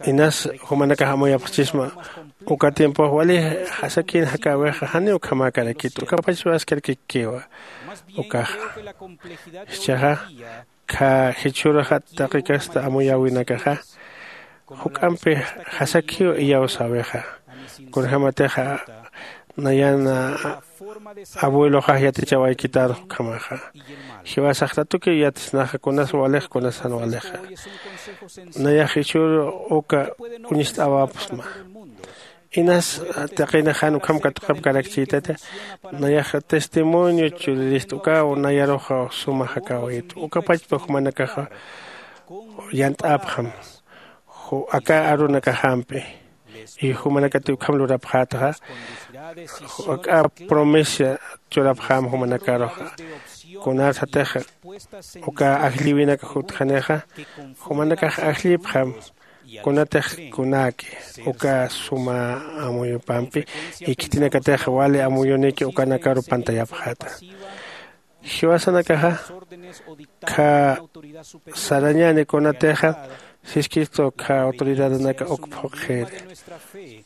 Inas jumanakax amuyapxchisma uka tiempox wali jasakïn jakäwixa janiw ukhamäkarakiti uka pachpaskarakikiwa. Ukaxa jichhaxa khä jichhüruxa taqi kasta amuyäwinakaxa juk'ampi jasakhiw iyawsäwixa. Kunjämatixa nayan abueloxax yatichawaykitan ukhamaxa. Jiwasax tatukiw yatisnaxa kunas walix kunas jan walixa. Nayax jichhüru uka uñist'awapxsma. Inas taqinix jan ukham katuqapkarakchïtati. Nayax testimonio churirist ukaw nayaruxa suma jakäwit uka pachpa jumanakaxa yant'apxam aka arunakaxampi. Y jumanakati ukham lurapxätxa aka promesa churapxäm jumanakaruxa. Kunarsatix uka ajllïwinakax utjanixa jumanakax ajllïpxam. Kunatix kunäki uka suma amuyupampi y khitinakatix wali amuyuniki ukanakaru pantayapxäta. Jiwasanakaxa khä sarañäni kunatixa siskistu khä autoridadanaka uk phuqhiri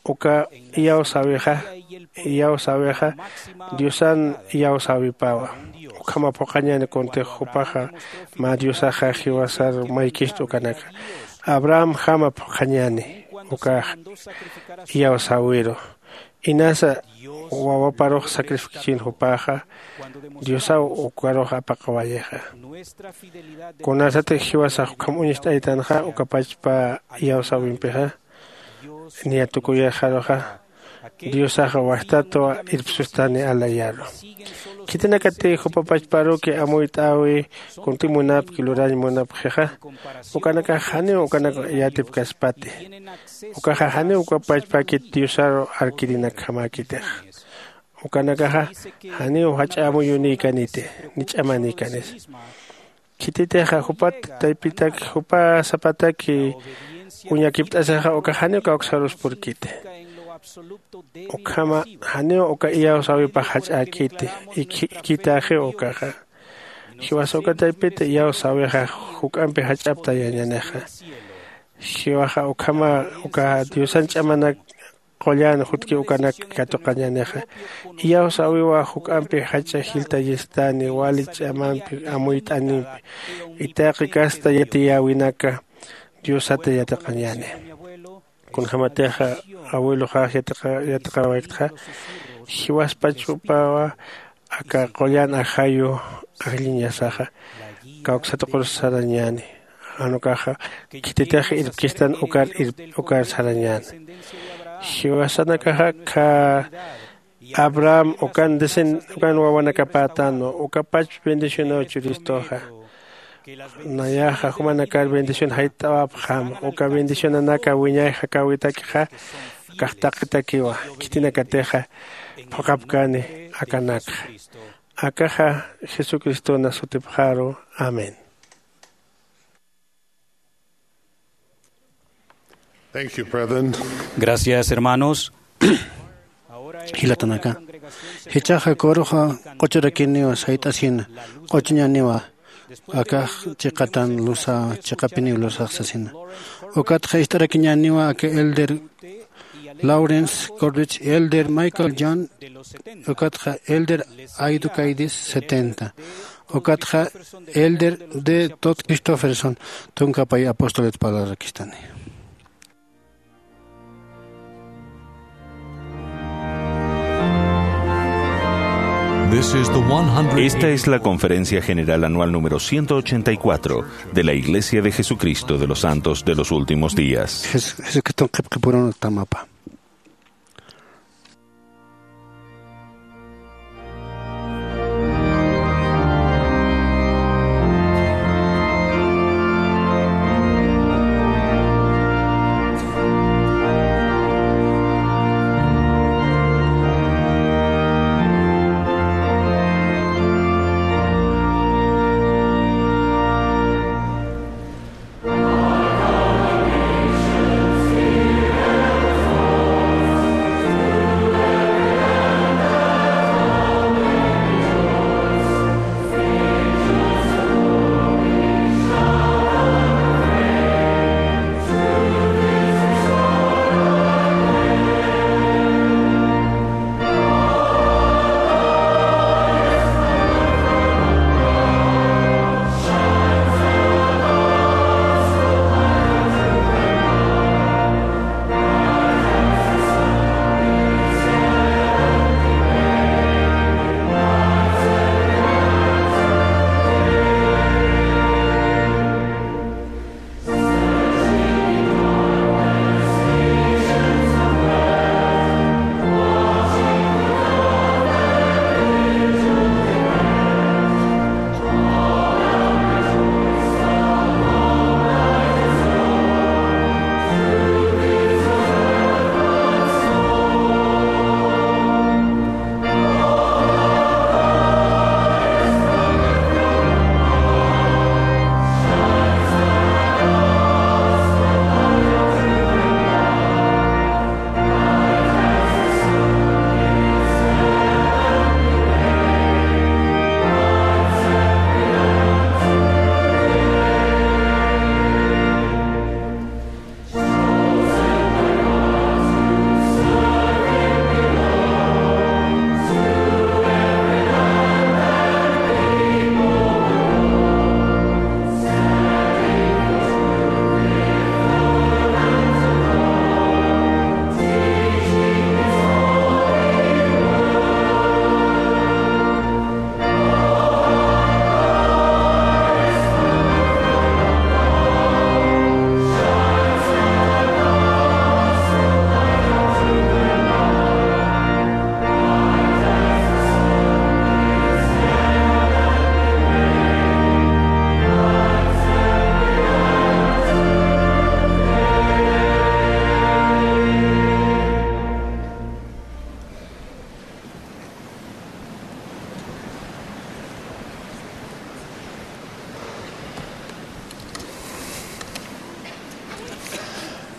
uka iyawsäwixa iyawsäwixa diosan iyawsäwipawa. Ukhama phuqhañäni kuntix jupaxa mä diosaxa jiwasar maykist ukanaka abrahamjama phuqhañäni ukax iyawsäwiru. Inasa wawaparux sacrificachin jupaxa diosaw ukarux apaqawayixa. Kunasatix jiwasax ukham uñst'aytanxa uka pachpa iyawsäwimpixa niya tukuyixaruxa diosaxa wastatwa irpsustani alayaru. Khitinakati jupa pachparuki amuyt'äwi kunti munapki lurañ munapxixa ukanakax janiw ukanak yatipkaspati. Ukaxa janiw uka pachpäkit diosaru arkirinakjamäkitixa. ukanakaxa janiw jach'a amuyunïkaniti ni ch'amanïkanisa. Khititixa jupat taypitak jupa sapataki uñakipt'asixa uka janiw kawksaruspurkiti. Ukhama janiw uka iyawsäwipax jach'äkiti. Ikhitaxiw ukaxa. Jiwasa uka taypita iyawsäwixa juk'ampi jach'aptayañänixa. Jiwaxa ukhama uka diosan ch'amanak qullan jutki ukanak katuqañänixa. Iyawsäwiwa juk'ampi jach'a jiltayistani wali ch'amampi amuyt'animpi. Itaqi kasta yatiyäwinaka diosata yatiqañäni. Kunjämatixa abueloxax yatiqawayktxa jiwaspach jupawa aka qullan ajayu ajlliñasaxa kawksatuqur sarañäni. Jan ukaxa khititix irpkistan ukar sarañäni. Jiwasanakaxa kha abraham ukan dicen ukan wawanakapätanwa ukapach bendicionaw churistuxa. Nayaxa jumanakar bendición jayt'awapxam uka bendicionanaka wiñay jakäwitakixa. Kaxtaqitakiwa khitinakatixa phuqhapkani akanakxa. Akaxa jesucristona sutipxaru. Amén. Gracias, hermanos. Jilatanaka, jichhaxa kuruxa q'uchurakiniwa sayt'asina q'uchuñaniwa. Akax chiqatan lusa chiqapiniw lusax sasina. Ukatxa ist'arakiñaniwa aka elder lawrence corbich, elder michael john, ukatxa elder aido caidis setenta, ukatxa elder de tot christopherson. Tunkapay apostolet palarakistani. Esta es la conferencia general anual número ciento ochenta y cuatro de la Iglesia de Jesucristo de los Santos de los Últimos Días. Jesucriston qhipqipurun tamapa.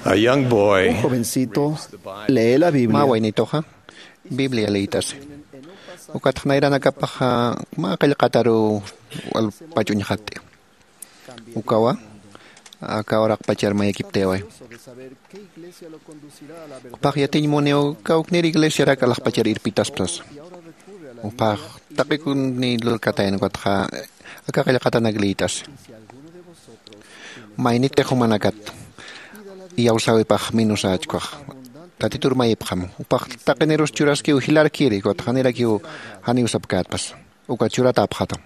A young boy. Un jovencito lee la Biblia. Mä waynituxa Biblia liyt'asi. Ukatxa nayranakapaxa mä qillqataru walpach uñxatt'i. Ukawa aka uraqpachar mayakiptayaway. Jupax yatiñ muniw kawknir iglesiarak alaxpachar irpitaspa sasa. Jupax taqikuni lurkatayan ukatxa aka qillqatanak liyt'asi. Maynitix jumanakat iyawsäwipax minusächkwax. Tatitur mayipxam jupax taqinirus churaskiw jilarkiri ukatxa janirakiw janiw sapkätpas. Uka churatäpxatam.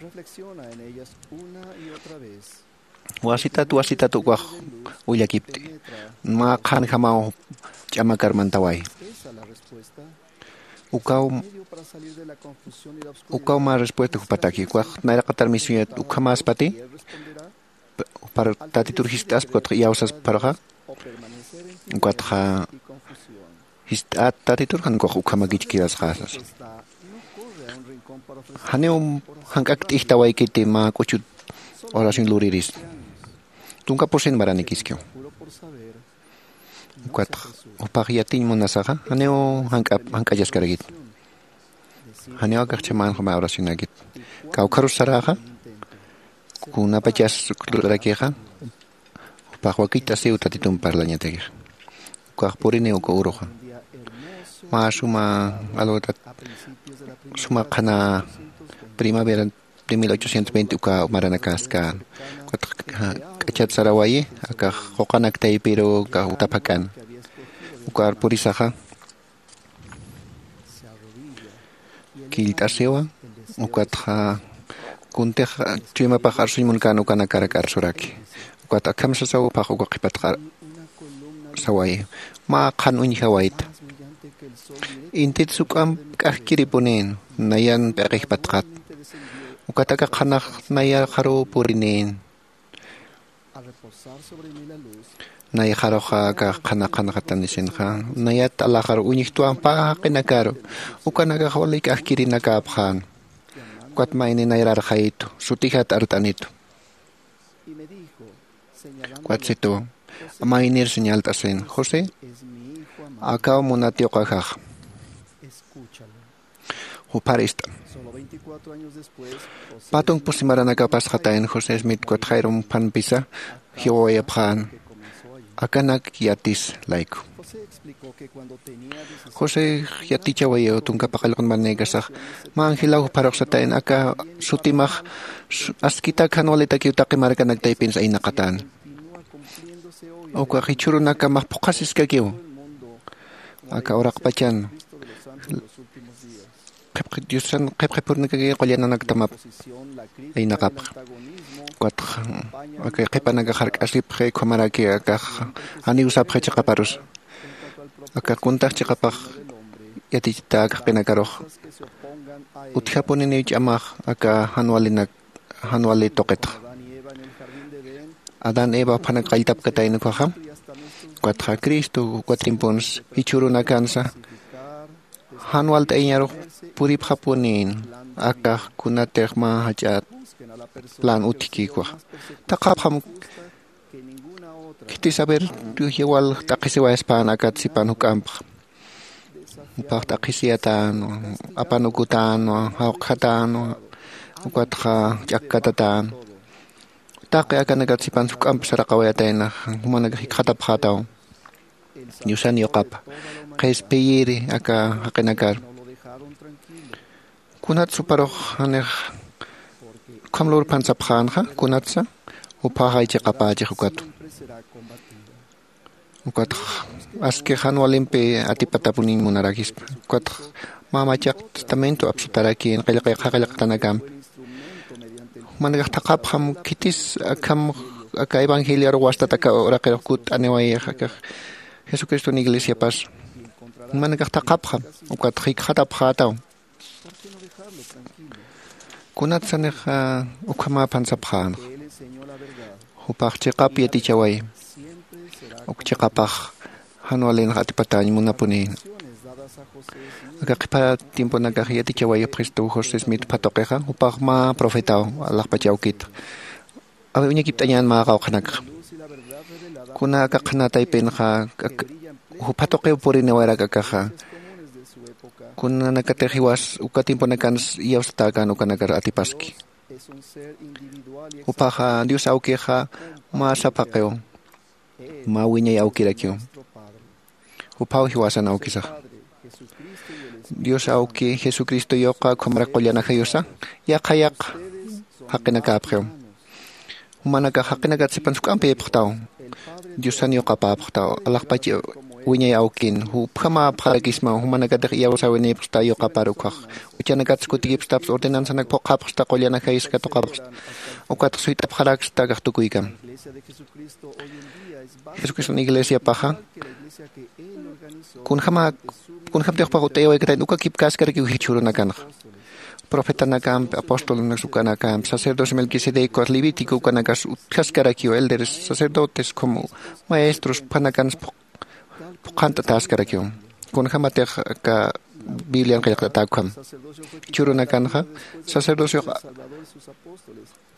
Wasitat wasitat ukax willakipt'i. Mä qhanjamaw ch'amakar mantaway. Ukaw ukaw mä respuesta jupataki ukax nayraqatar misiñat ukhamäspati. Jupar tatitur jist'aspa ukatxa iyawsaspa juparuxa. Ukatxa jist'at tatitur jan ukax ukhamakichkirasxasas. Janiw jank'akt'ijtawaykiti mä k'uchut oración luriris. Tunka pusin maranikiskiw. Ukatxa jupax yatiñ munasaxa janiw jank'achaskarakit. Janiw akaxchha mänxa mä oracionakit. Kawkharus saräxa kunapachas lurakixa jupax wakicht'asiw tatitump parlañatakix. Ukax puriniw uka uruxa. Mä suma alwatat suma qhana primavera de mil ochocientos veinte uka maranakaskän. Ukatxa k'achat sarawayi akax quqanaktaypiru uka utaphakan. Ukar purisaxa killt'asiwa. Ukatxa kuntix chuymapax arsuñ munkän ukanakarak arsuraki. Ukat akham sasaw jupax uka qhipat sawayi. Mä qhan uñjawayta. Intit suk'amp k'ajkiripunin nayan p'iqijpatxat. Ukat aka qhanax nayxaruw purinin. Nayxaruxa aka qhana qhanxatanisinxa nayat alaxaru uñjtwa pä jaqinakaru. Ukanakax wali k'ajkirinakäpxän. Ukat mayni nayrarxayitu sutijat art'anitu. Ukat situw maynir señalt'asin josé. Akaw munat yuqajaxa. Jupar ist'an. Patunk pusi maranakapasxatayan josé smith ukat jayrum phanpisa jiwawayapxän. Akanak yatis layku. José yatichawayaw tunka paqallqun marnaykasax mä angelaw juparuxsatayan aka sutimax askitak jan walitakiw taqi markanak taypinsa aynaqatän. Ukax jichhürunakamax phuqhasiskakiw. Aka uraqpachan diosan qhipqhipurnakakiw qullananaktamap aynaqapxa. Ukatxa aka qhipanakax jark'asipxi ukhamaraki akax janiw sapxi chiqaparusa. Akax kuntax chiqapax yatichita kaqinakarux utjapuniniw ch'amax aka jan walinak jan wali tuqitxa. Adán eva juphanak qalltapkatayna ukhaxa. Ukatxa cristo uka tiemponsa jichhürunakansa jan walt'ayañarux puripxapunin. Akax kunatix mä jach'a plan utjki ukhaxa. Thaqhapxam khitis aver yawal t'aqhisiwayaspan akat sipan juk'ampxa. Jupax t'aqhisiyatänwa apanukutänwa jawqhatänwa ukatxa ch'akkatatäna. Taqi akanakat sipan juk'amp saraqawayatayna jumanakax jikxatapxätaw. Diosan yuqapa qhispiyiri aka jaqinakar. Kunatsa juparux janix ukham lurphan sapxänxa kunatsa juphaxay chiqapächix ukatu. Ukatx aski jan walimpi atipatapuniñ munarakispa. Ukatx mä machaq testamento apsutarakin qillqi qhaqillqatanakampi. Jumanakax thaqhapxam khitis akham aka evangelioru wastat aka uraqirux kutt'aniwayix akax jesucriston iglesiapas. Jumanakax thaqhapxam ukatx jikxatapxätaw. Kunatsanix ukhamäpan sapxänxa jupax chiqap yatichawayi. Uk chiqapax jan walinx atipatäñ munapunïna. Aka qhipa tiemponakax yatichawayapxistu josé smith phatuqixa jupax mä profetaw alaxpach awkitxa. Awi uñakipt'añän mä qawqhanakxa. Kuna aka qhana taypinxa, ak-, jupha tuqiw puriniwayarak akaxa. Kunanakatix jiwas uka tiemponakans iyawsatäkän ukanakar atipaski. Juphaxa Dios awkixa mä saphaqiw, mä wiñay awkirakiw. Juphaw jiwasan awkisax. Dios awki Jesucristo yuqa ukhamarak qullan ajayusa, yaqha yaqha jaqinakäpxiw. Jumanakax jaqinakat sipan juk'ampiyipxtaw. Diosan yuqapäpxtaw, alaxpach wiñay awkin, jupjamäpxarakismaw, jumanakatix iyawsäwinïpxsta yuqapar ukkhax. Juchanakat kutikipxstaps, ordenanzanak phuqhapxsta, qullan ajayusa katuqapxsta. Ukatx suyt'apxaraksta akax tukuykam. Jesucriston iglesiapaxa, kunjama, kunjamtix jupax ut'ayawaykatayn, uka kipkaskarakiw jichhürunakanxa. Profetanakampi, apostolunaks ukanakampi, sacerdocio Melquisedec, Levítico ukanakas utjaskarakiw, elderes, sacerdotes, como maestros, jupanakans phuq-, phuqhant'atäskarakiw. Kunjamatix aka Biblian qillqt'atäkam. Jichhürunakanxa, sacerdocio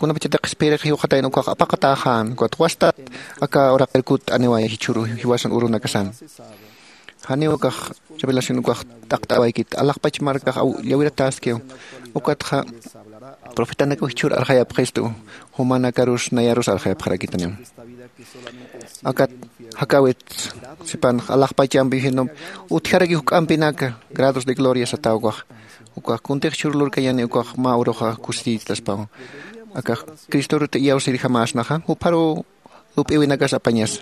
kunapachatix qhispiyirix jiwxatayna ukax apaqatäxän, ukat wastat aka uraqir kutt'aniway jichhüru jiwasan urunakasan. Janiw ukax revelación ukax t'aqt'awaykit, alaxpach markax aw-, llawiratäskiw, ukatxa profetanakaw jichhür arxayapxistu, jumanakarus nayarus arxayapxarakitaniw. Akat jakäwit sipanx alaxpachampi jinom utjaraki juk'ampinaka, grados de gloria satäw ukax. Ukax kuntix jichhür lurkañäni ukax mä uruxa kusisiytaspaw. Akax Cristoruta iyawsirjamäsnaxa, jupharuw lup'iwinakas apañasa.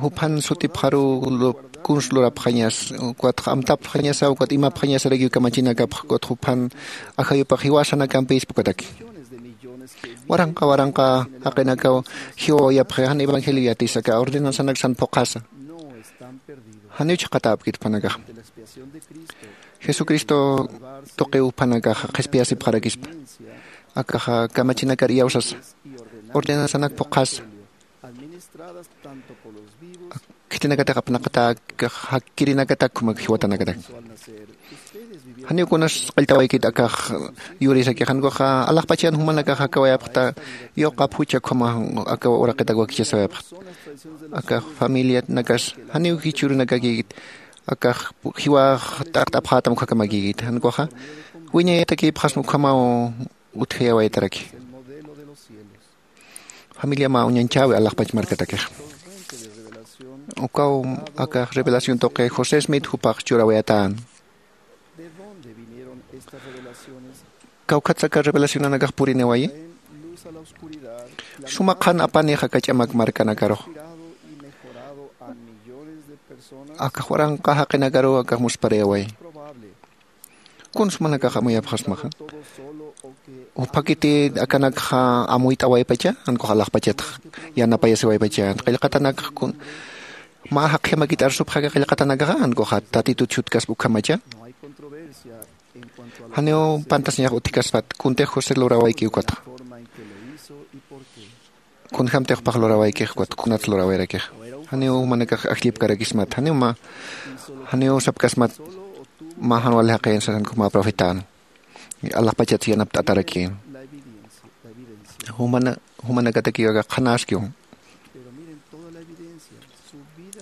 Juphan sutipxaruw lup-, kuns lurapxañas, ukatx amtapxañasa, ukat imapxañasarakiw kamachinakapx, ukat juphan ajayupax jiwasanakampïspa ukataki. Waranqa waranqa jaqinakaw jiwawayapxi jan evangelio yatisa aka ordenanzanak san phuqhasa. Janiw chhaqatäpkit jupanakax. Jesucristo tuqiw jupanakax qhispiyasipxarakispa. Akaxa kamachinakar iyawsasa. Ordenanzanak phuqhasa. Khitinakatix apnaqatäk, jakirinakatak, ukhama jiwatanakatak. Janiw kunas qilltawaykit akax yurisakix, jan ukaxa alaxpachan jumanakax jakawayapxta, yuqap jucha ukhama aka uraqitak wakichasawayapxta. Akax familianakas, janiw jichhürunakakïkit, akax jiwax t'aqt'apxätam ukhakamakïkit, jan ukaxa wiñayatakïpxasma ukhamaw utjayawaytaraki. Familia mä uñañchäwi alaxpach markatakix. Ukaw akax revelación tuqi José Smith jupax churawayatän. ¿Kawkhatsa aka revelacionanakax puriniwayi? Suma qhan apanix aka ch'amak markanakarux. Akax waranqa jaqinakaruw akax musparayawayi. Kuns jumanakax amuyapxasmaxa. Juphakiti akanakxa amuyt'awaypacha, jan ukax alaxpachatx yanapayasiwaypacha. Qillqatanakx kun mä jaqjamakit arsupxaka qillqatanakaxa, jan ukaxa Tatitut shutkaspa ukhamacha. Janiw pantasañax utjkaspat, kuntix José lurawayki ukatxa. Kunjamtix jupax lurawaykix, ukat kunats lurawayarakixa. Janiw jumanakax ajllipkarakismat, janiw mä, janiw sapkasmat, mä jan wali jaqin sasan ukhama profetan. Alaxpachats yanapt'atarakïn. Jumana, jumanakatakiw aka qhanäskiw.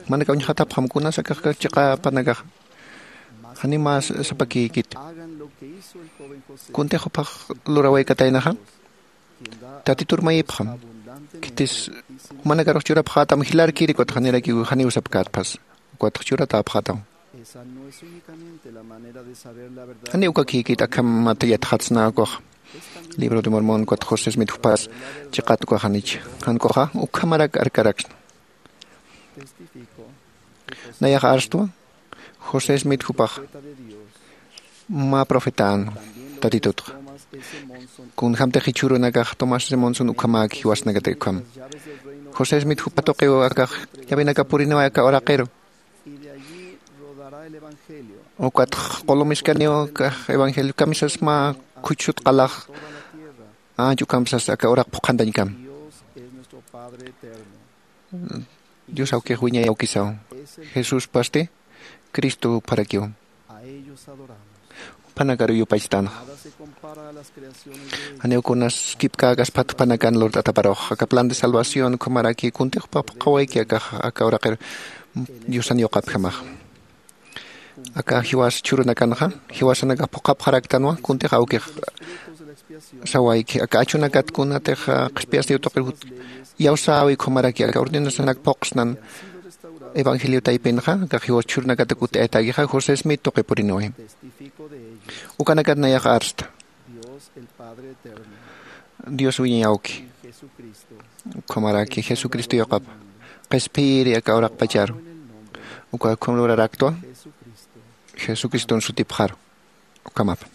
Jumanakax uñjatapxam kunas akax chiqa apanakax. Janiw mä sapakïkit. Kuntix jupax lurawaykataynaxa. Tatitur mayipxam. Khitis jumanakarux churapxätam jilarkiri, ukat janirakiw janiw sapkätpas. Ukatx churatäpxätam. Janiw ukakïkit, akhamat yatxatsna ukax. Libro de Mormón, ukat José Smith jupas chiqat ukax janich. Jan ukaxa ukhamarak arkaraksna. Nayax arstwa, José Smith jupax mä profetan Tatitutxa. Kunjamtix jichhürunakax Thomas S. Monson ukhamäki jiwasnakatak ukham. José Smith jupa tuqiw akax llavenaka puriniway aka uraqiru. Ukatx qulum iskaniw akax evangelio kamisas mä khuchhut qalax anch ukhamsas aka uraq phuqhantañkam. Dios awkix wiñay awkisaw. Jesuspasti Cristo jupharakiw. Jupanakaru yupaychtanxa. Janiw kunas kipkäkasphat jupanakan lurt'ataparux aka plan de salvación ukhamaraki kuntix phuqhawayki akax aka uraqir diosan yuqapjamax. Aka jiwas chhurunakanxa jiwasanakax phuqhapxaraktanwa kuntix awkix sawayki aka achunakat kunatix qhispiyasniw tuqir iyawsäwi ukhamaraki aka ordenasanak phuqsnan evangelio taypinxa aka jiwas chhurunakatak ut'ayatakixa josé smith tuqipuriniwi. Ukanakat nayax arsta dios wiñay awki ukhamaraki jesucristo yuqapa qhispiyiri aka uraqpacharu uka ukham luraraktwa jesucriston sutipxaru. Ukhamapa.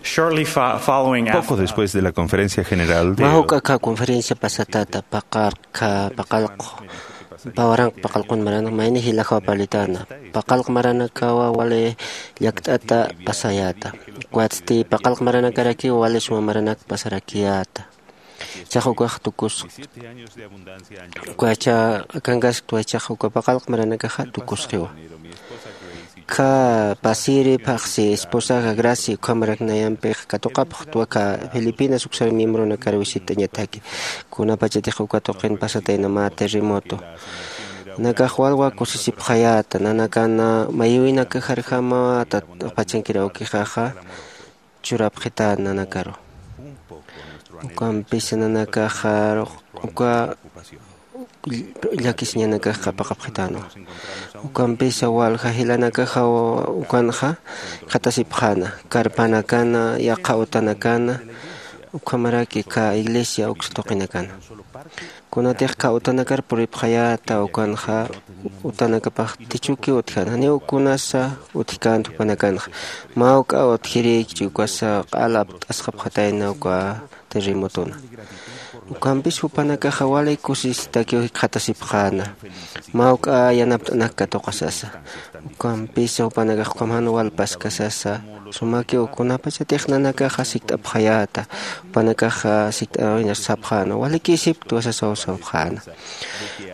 Shortly fo- following Poco after después de la conferencia general de Mä juk'a aka conferencia pasatata paqarqa paqalqu pä waranqa paqalqun maranaka mayni jilajaw parlitana. Paqalq maranakawa wali llakt'ata pasayäta. Ukatsti paqalq maranakarakiw wali suma maranak pasarakiyäta. Chax ukax tukus ukacha akankasktuwa chax uka paqalq maranakaxa tukusxiwa. Kha pasiri phaxsi esposaxa gracia ukhamarak nayampix katuqapxtwa kha filipinas uksar miembronakar visitañataki. Kunapachatix uka tuqin pasatayna mä terremoto nakax walwa kusisipxayäta nanakana mayïwinakaxarjama tatpachankirawkixaxa churapxitän nanakaru. Ukampisa nanakaxar uka llakisiñanakax qhapaqapxitänwa. Ukampisa walja jilanakaxaw ukanxa khatasipxäna karpanakana yaqha utanakana ukhamaraki kha iglesia uksa tuqinakana. Kunatix kha utanakar puripxayäta ukanxa utanakapax tichukiw utjäna janiw kunasa utjkänti jupanakanxa. Mä juk'a utjirïkchi ukasa q'ala apt'asxapxatayna uka terremotona. Ukampis jupanakaxa wali kusisitakiw jikxatasipxäna mä juk'a yanapt'anak katuqasasa. Ukampisa jupanakax ukham jan walpaskasasa sumakiw kunapachatix nanakaxa sikt'apxayäta. Jupanakaxa sikt'awinar sapxäna walikïsipktwa sasaw sapxäna.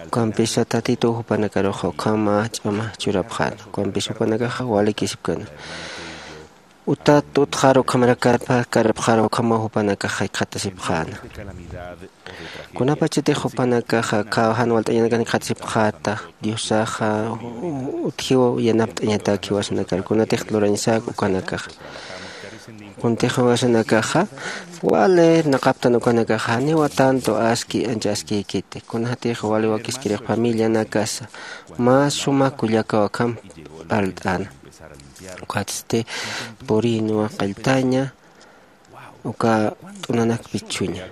Ukampisa tatituw jupanakaruxa ukhama ch'ama churapxäna ukampisa jupanakaxa walikïsipkana. Utat utxar ukhamarak karpxar ukhamaw jupanakaxa jikxatasipxäna. Kunapachatix jupanakaxa kha jan walt'añanakan jikxatasipxäta diosaxa utjiw yanapt'añatak jiwasanakar kunatix lurañasak ukanakaxa. Kuntix jiwasanakaxa wali irnaqaptan ukanakaxa janiwa tanto aski ancha askïkiti kunatix wali wakiskirix familianakasa mä suma kullakaw akham parlt'äna. Ukatsti purïnwa qalltaña uka t'unanak pichhuña.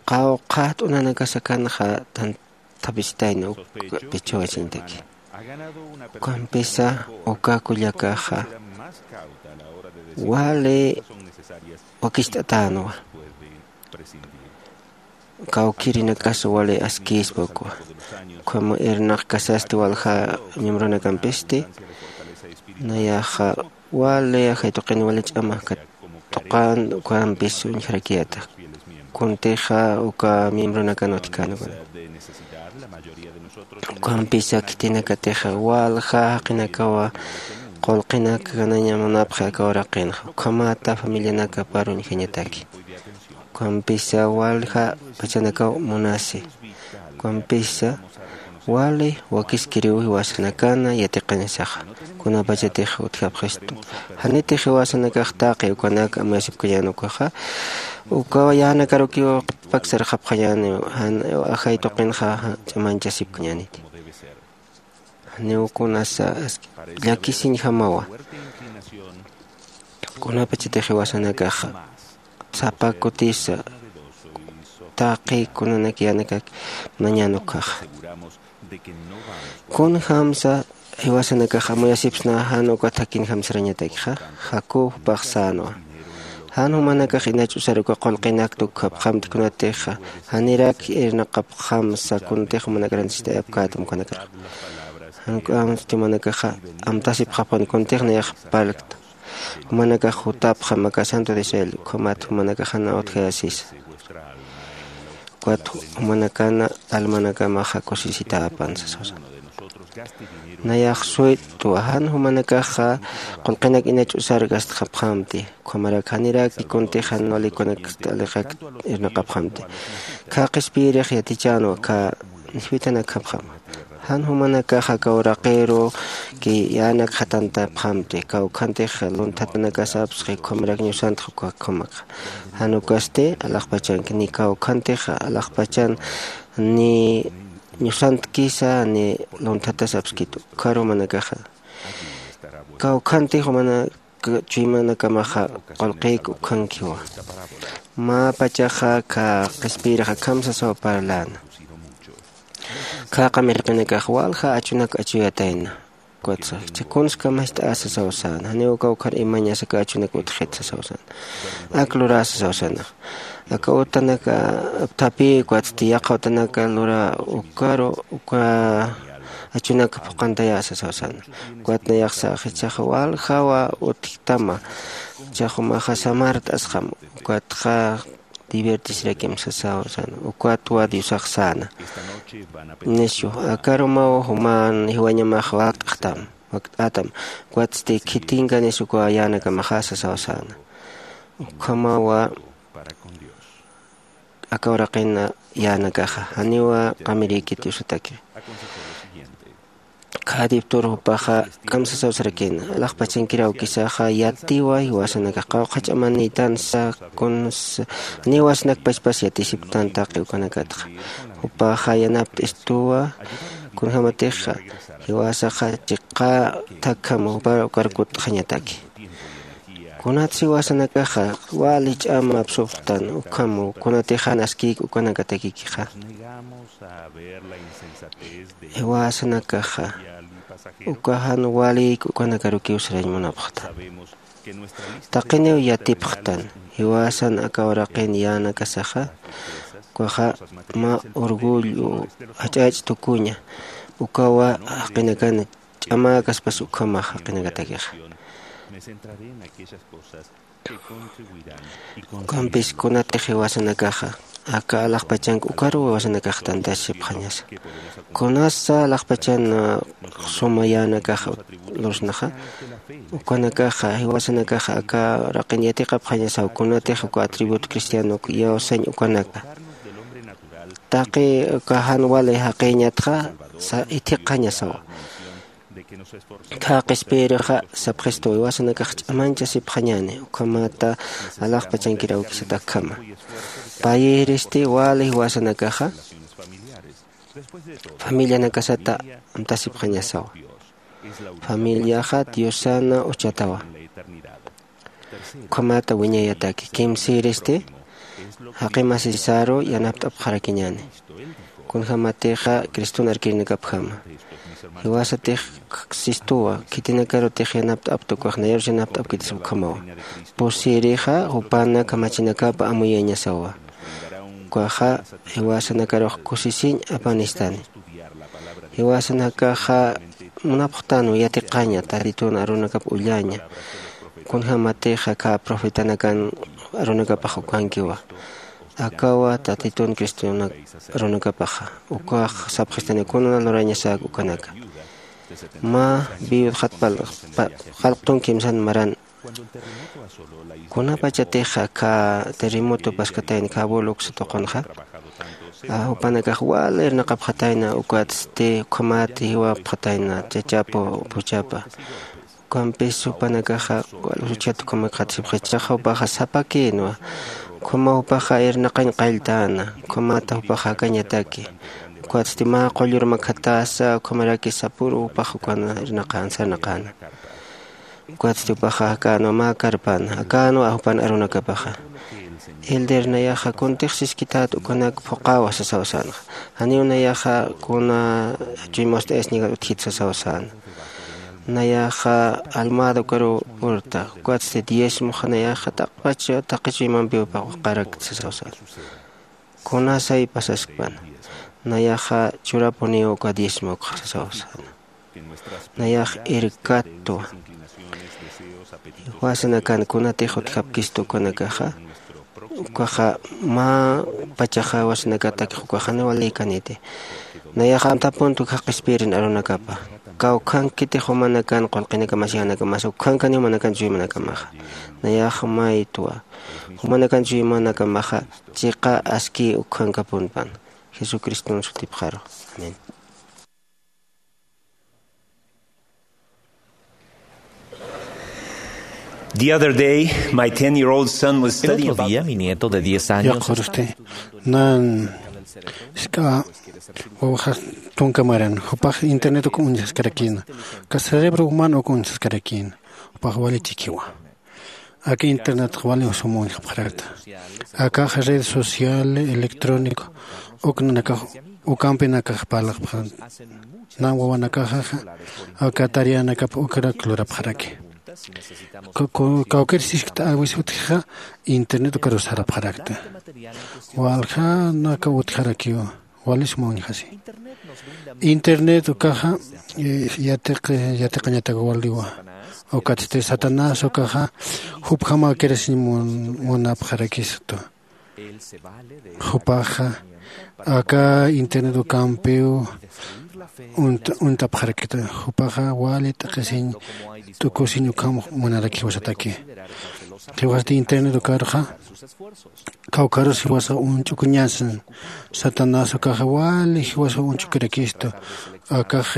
Qawqha t'unanakas akanxa tanthapisitayna uka pichhawasiñataki. Ukampisa uka kullakaxa wali wakicht'atänwa. Kawkïrinakas wali askïspa ukwa ukham irnaqkasasti walja miembronakampisti nayaxa wali ajay tuqin wali ch'ama katuqän ukampis uñjarakiyäta. Kuntixa uka miembronakan utjkän ukan ukampisa khitinakatixa walja jaqinakawa qullqinakanaña munapxi aka uraqinxa ukhamata familianakapar uñjañataki. Ukampisa walja pachanakaw munasi ukampisa wali wakiskiriw jiwasanakana yatiqañasaxa. Kunapachatix utjapxistu janitix jiwasanakax taqi ukanak amuyasipkañän ukaxa ukawa yänakarukiw qhipaksarxapxañäniw jan ajay tuqinxa ch'amañchasipkañäniti. Janiw kunasa llakisiñjamawa kunapachatix jiwasanakaxa sapa kutisa taqi kunanak yänakak nañän ukhaxa. Kunjamsa jiwasanakax amuyasipsna jan uka thakhinjam sarañatakixa. Jacob jupax sänwa jan jumanakax inach'usar uka qullqinak tukhapxamti kunatixa janirak irnaqapxamsa kuntix jumanakar antisitayapkätam ukanakar jank'amsti jumanakaxa amtasipxapxan kuntix nayax parlkta. Jumanakax jutapxam aka santo de israel ukhamat jumanakax jana utjayasisa. Ukat jumanakana almanakamaxa kusisitäpan sasawsan. Nayax suytwa jan jumanakaxa qullqinak inach usarkastxapxamti, ukhamarak janiraki kuntix jan walikunaksta aliqak irnaqapxamti. Kha qhispiyirix yatichänwa kha niswitanakjapxama. Jan jumanakaxa kawraqiru ki yänak jatantapxamti, kawkhantix lunthatanakasapsxi ukhamarak ñusantx ukakjamaxa. Jan ukasti alaxpachanki ni kawkhantix alaxpachan ni ñusantkisa ni lunthatasapskit. Ukhar jumanakaxa kawkhantix jumanak chuymanakamaxa qullqïk ukhankiwa. Mä pachaxa kha qhispiyirix akham sasaw parläna. Kha qamirqinakax walja achunak achuyatayna. Ukatsa jichha kuns kamast'ä sasaw säna, janiw kawkhar imañas aka achunak utjxit sasaw säna. Ak lurä sasaw säna. Aka utanaka apthapï ukatsti yaqha utanaka lurä ukaru uka achunak phuqantayä sasaw säna. Ukat nayaxsa jichhaxa waljawa utjtama. Jichhax jumaxa samart'asxam. Ukatxa divertisirakim sasaw säna. Ukatwa Diosax säna. Nishu, aka arumaw juman jiwañamax wakt'xtam, wakt'ätam. Ukatsti khitinkanis uka yänakamaxa sasaw säna. Ukhamawa aka uraqin yänakaxa janiwa qamirïkit Diosataki. Khadiptur jupaxa kamsasaw sarakïna, alaxpachankir awkisaxa yatiwa jiwasanakax qawqha ch'amanïtansa, kuns niwasanak pachpas yatisiptan taqi ukanakatxa. Jupaxa yanapt'istuwa kunjämatixa jiwasaxa chiqä thakjam jupar ukar kutt'xañataki. Kunatsa jiwasanakaxa wali ch'ama apsupxtan ukham kunatix jan askïk ukanakatakikixa. Jiwasanakaxa uka jan walïk ukanakarukiw sarañ munapxta. Taqiniw yatipxtan jiwasan aka uraqin yänakasaxa. Ukaxa mä orgullo jach'ach'tukuña. Ukawa jaqinakan ch'amäkaspas ukhamax jaqinakatakixa. Ukampis kunatix jiwasanakaxa aka alaxpachank ukaruw jiwasanakax tantasipxañasa. Kunasa alaxpachan suma yänakaxa lursnaxa. Ukanakaxa jiwasanakaxa aka raqin yatiqapxañasaw kunatix uka atributo cristianok iyawsañ ukanaka. Taqi uka jan wali jaqïñatxa ithiqxañasawa. Kha qhispiyirixa sapxistuwa jiwasanakax ch'amañchasipxañäni ukhamata alaxpachankir awkisat akhama. Payïristi wali jiwasanakaxa familianakasata amtasipxañasawa. Familiaxa diosana uchatawa. Ukhamata wiñayataki kimsïristi jaqi masisaru yanapt'apxarakiñäni. Kunjämatixa criston arkirinakapjama. Jiwasatix sistuwa khitinakarutix yanapt'apta ukax nayarus yanapt'apkitis ukhamawa. Pusïrixa jupana kamachinakapa amuyañasawa. Ukaxa jiwasanakarux kusisiñ apanistani. Jiwasanakaxa munapxtanwa yatiqaña tatitun arunakap ullaña. Kunjämatixa kha profetanakan arunakapax ukankiwa. Akawa tatitun cristonak arunakapaxa ukax sapxistani kuna lurañasäk ukanaka. Mä viudxat pal qallqtun kimsan maran. Kunapachatix aka terremoto paskatayna kha buluks tuqunxa jupanakax wali irnaqapxatayna ukatsti ukhamat jiwapxatayna chachapu puchapa. Ukampis jupanakaxa wal juchat ukhamakxatisipxi chaxa jupaxa sapakïnwa. Ukhama jupaxa irnaqañ qalltäna ukhamata jupaxa jakañataki. Ukatsti mä qullur makhatäsa ukhamaraki sapüru jupax ukan irnaqän sarnaqäna. Ukatsti jupaxa jakänwa mä karpan jakänwa jupan arunakapaxa. Elder nayaxa kuntix siskität ukanak phuqäwa sasaw sänxa. Janiw nayaxa kuna chuymast'ayasñakat utjit sasaw säna. Nayaxa almada ukaruw purta ukatsti diezmoxa nayaxa taqpach taqi chuymampiw paqarakta sasaw säna. Kunasay pasaskpan nayaxa churapuniw uka diezmokxa sasaw säna. Nayax irkattwa jiwasanakan kunatix utjapkista ukanakaxa. Ukaxa mä pachaxa wasinakatakix ukaxani walïkaniti. Nayaxa amtapuntu kaq qhispirin arunakapa kawkhankitix jumanakan qullqinakamas yanakamas ukhankani jumanakan chuymanakamaxa. Nayaxa maytwa jumanakan chuymanakamaxa chiqa aski ukhankapunpan. Jesucriston sutipxaru. Amén. The other day, my ten year old son was El studying otro about día, mi nieto de diez años yaqhursti nan ska wawaxa tunka maran jupax internet uka uñsaskarakina ka cerebro humano uka uñsaskarakina. Jupax wali chikiwa. Aka internet wali sum uñjapxarakta. Akax red social electrónico uknanakax ukampinakax parlaqpxan. Nan wawanakaxaxa aka tareanakap ukrak lurapxaraki. Kawkir siskta awis utjixa internet ukarus sarapxarakta. Waljanaka utjarakiw walisma uñjasi. Internet ukaxa yatiq yatiqañatak waliwa. Ukatsti satanás ukaxa jupjama kirasiñ munapxarakistu. Jupaxa aka internet ukampiw untapxarakita. Jupaxa wali t'aqisiñ t'ukusiñ ukham munaraki jiwasataki. Jiwasati internet ukarxa kawkarus jiwasa uñch'ukuñasan. Satanás ukaxa wali jiwasa uñch'ukirakistu. Akax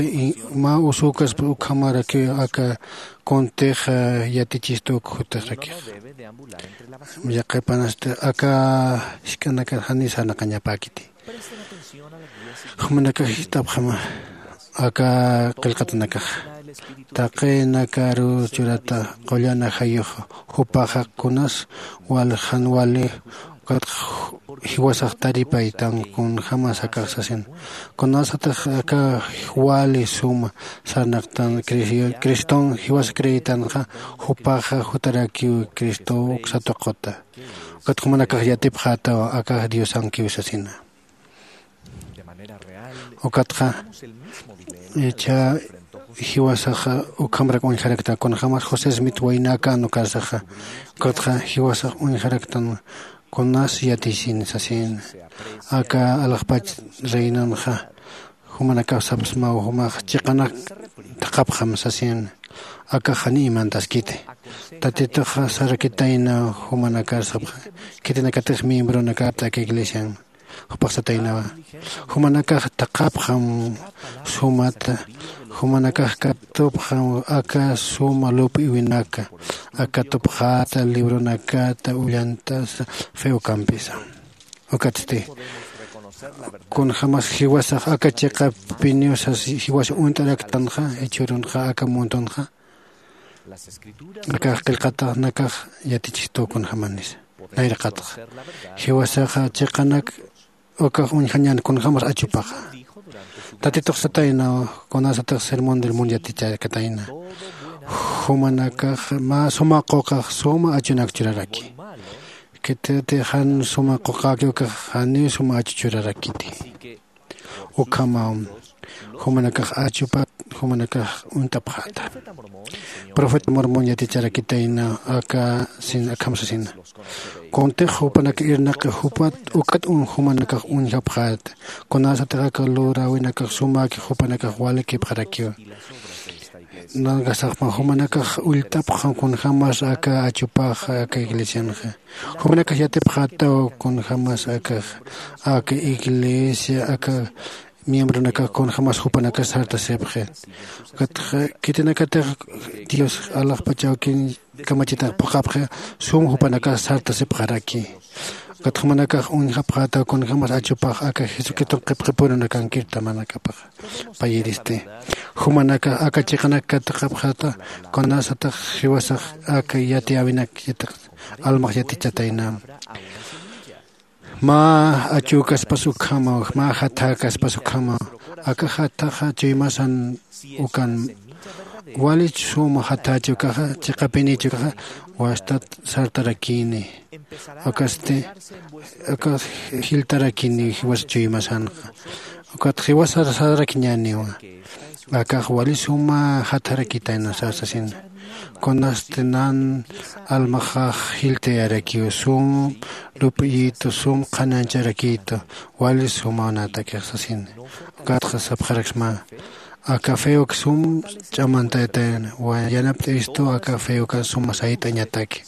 mä usukas ukhamaraki aka kuntix yatichistu uk jutixrakix. Yaqhipanasti aka jisk'anakar jani sarnaqañapäkiti. Jumanakax jist'apxama aka qillqatanakax taqinakaru churata qullan ajayux. Jupaxa kunas wal jan wali ukatx jiwasax taripaytan kunjämas akax sasin. Kunasatix aka wali suma sarnaqtan criston jiwas creyitanxa jupaxa jutarakiw cristow uksa tuquta. Ukat jumanakax yatipxätaw akax diosankiw sasina. Ukatxa ichha jiwasaxa ukhamrak uñjarakta kunjämas josé smith waynäkän ukarsaxa. Ukatxa jiwasax uñjaraktan kunas yatisin sasin. Aka alaxpach reinanxa jumanakax sapsmaw jumax chiqanak thaqhapxam sasin. Akax jani imantaskiti. Tatituxa sarakitayna jumanakar sapxa khitinakatix miembronakata aka iglesian. Jupax sataynawa jumanakax thaqhapxam sumata. Jumanakax katupxam aka suma lup'iwinaka aka katupxäta libronakata ullantasa fe ukampisa. Ukatsti kunjämas jiwasax aka chiqapiniw sas jiwas uñt'araktanxa jichhürunxa aka mundonxa akax qillqatanakax yatichistu kunjämanisa. Nayraqatxa jiwasaxa chiqanak ukax uñjañän kunjämas achupaxa. Tatitux sataynaw kunasatix sermón del mundo yaticharakatayna jumanakax mä suma quqax suma achunak churaraki. Khititix jan suma quqäki ukax janiw suma achu churarakiti. Ukhamaw jumanakax achupat jumanakax uñt'apxäta. Profeta mormón yaticharakitayna aka sin akham sasina. Kuntix jupanak irnaqi jupat ukat jumanakax uñjapxäta. Kunasatix aka luräwinakax sumäki jupanakax walikipxarakiwa. Nankasaxma jumanakax ullt'apxam kunjämas aka achupax aka iglesianxa. Jumanakax yatipxätaw kunjämas akax aka iglesia aka miembronakax kunjämas jupanakax sartasipxi. Ukatxa khitinakatix dios alaxpach awkin kamachitax phuqhapxi sum jupanakax sartasipxaraki. Ukat jumanakax uñjapxätaw kunjämas achupax aka jesucriston qhipqhipurunakankiru tamanakapaxa. Payiristi jumanakax aka chiqanak kataqapxäta kunasatix jiwasax aka yatiyäwinak yatiq almax yatichatayna. Mä achükaspas ukhamaw mä jathäkaspas ukhamaw aka jathaxa chuymasan ukan. Wali suma jathächi ukaxa chiqapinichi ukaxa wastat sartarakini. Akasti aka jiltarakini jiwas chuymasanxa. Ukat jiwas sararakiñäniwa. Akax wali suma jatharakitayna sasasina. Kunasti nan almaxax jiltayarakiw sum lup'iyitu sum qhanañcharakiytu. Wali sumaw natakix sasin. Ukatxa sapxaraksma aka feok sum ch'amantayatayna wa yanapt'istu aka feokan suma sayt'añataki.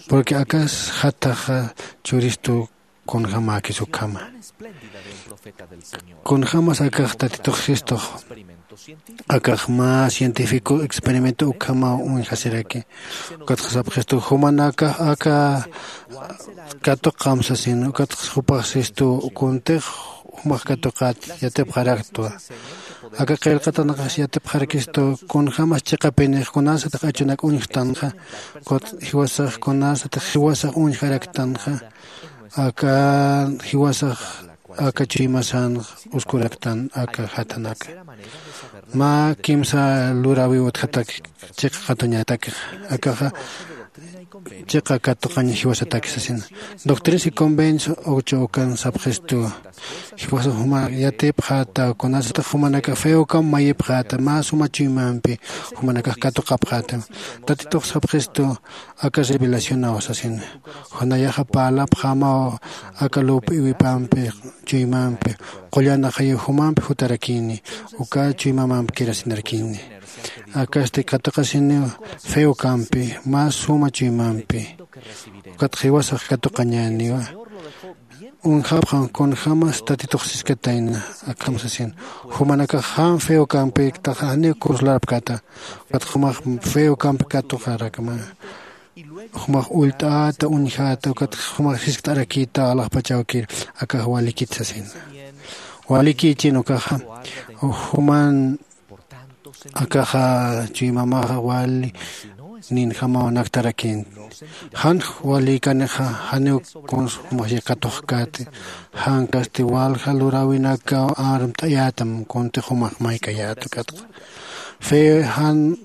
Porque akas jataxa churistu kunjämäkis ukhama. Kunjämas akax tatitux sistux akax mä científico experimento ukhamaw uñjasiraki. Ukatxa sapxistu jumanakax aka katuqam sasin ukatxa jupax sistu kuntix jumax katuqät yatipxaraktwa. Aka qillqatanakax yatipxarakistu kunjämas chiqapinix kunasatix achunak uñjtanxa. Ukatxa jiwasax kunasatix jiwasax uñjaraktanxa aka jiwasax aka chuymasan uskuraktan aka jatanaka. Mä kimsa luräwiw utjatak chiqa katuñatakix akaxa chiqa katuqañ jiwasataki sasina. Doctrinas y convenios ocho ukan sapxistuwa jiwasax jumanak yatipxäta kunasatix jumanakax feokamp mayipxäta mä suma chuymampi jumanakax katuqapxäta. Tatitux sapxistu aka revelacionaw sasina. Junayaxa parlapxämaw aka lup'iwipampi chuymampi qullan axayu jumampi jutarakini uka chuymamampi kirasinarakini. Akasti katuqasiniw feokampi mä suma chuymampi. Ukat jiwasax katuqañäniwa. Uñjapxam kunjämas tatitux siskatayna akham sasin. Jumanakax jan feokampiktaxa janiw consolarapkäta. Ukat jumax feokampi katuqarakma jumax ullt'äta uñjäta ukat jumax jiskt'arakïta alaxpach awkir. Akax walikit sasina. Walikïchin ukaxa juman akaxa chuymamaxa wali ninjamaw naktarakinti. Jan walïkanixa janiw kuns jumax yaqatuxkäti. Jan kasti walja luräwinakaw armt'ayätam kuntix jumax maykayäta ukatxa fe jan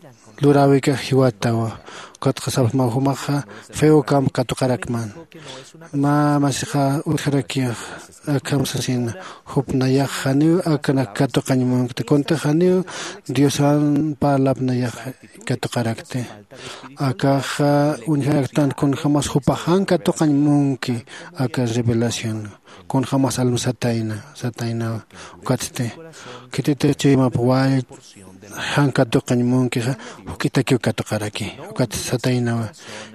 luräwikax jiwatawa. Ukatxa sapsmaw jumaxa feokamp katuqarakman. Mä masixa utjarakix akham sasina. Jup nayax janiw akanak katuqañ munkti kuntix janiw diosan parlap nayax katuqarakti. Akaxa uñjaraktan kunjämas jupax jan katuqañ munki aka revelación kunjämas alma satayna sataynawa. Ukatsti khititix chuymap wal jan katuqañ munkixa juk'itakiw katuqaraki. Ukat sataynawa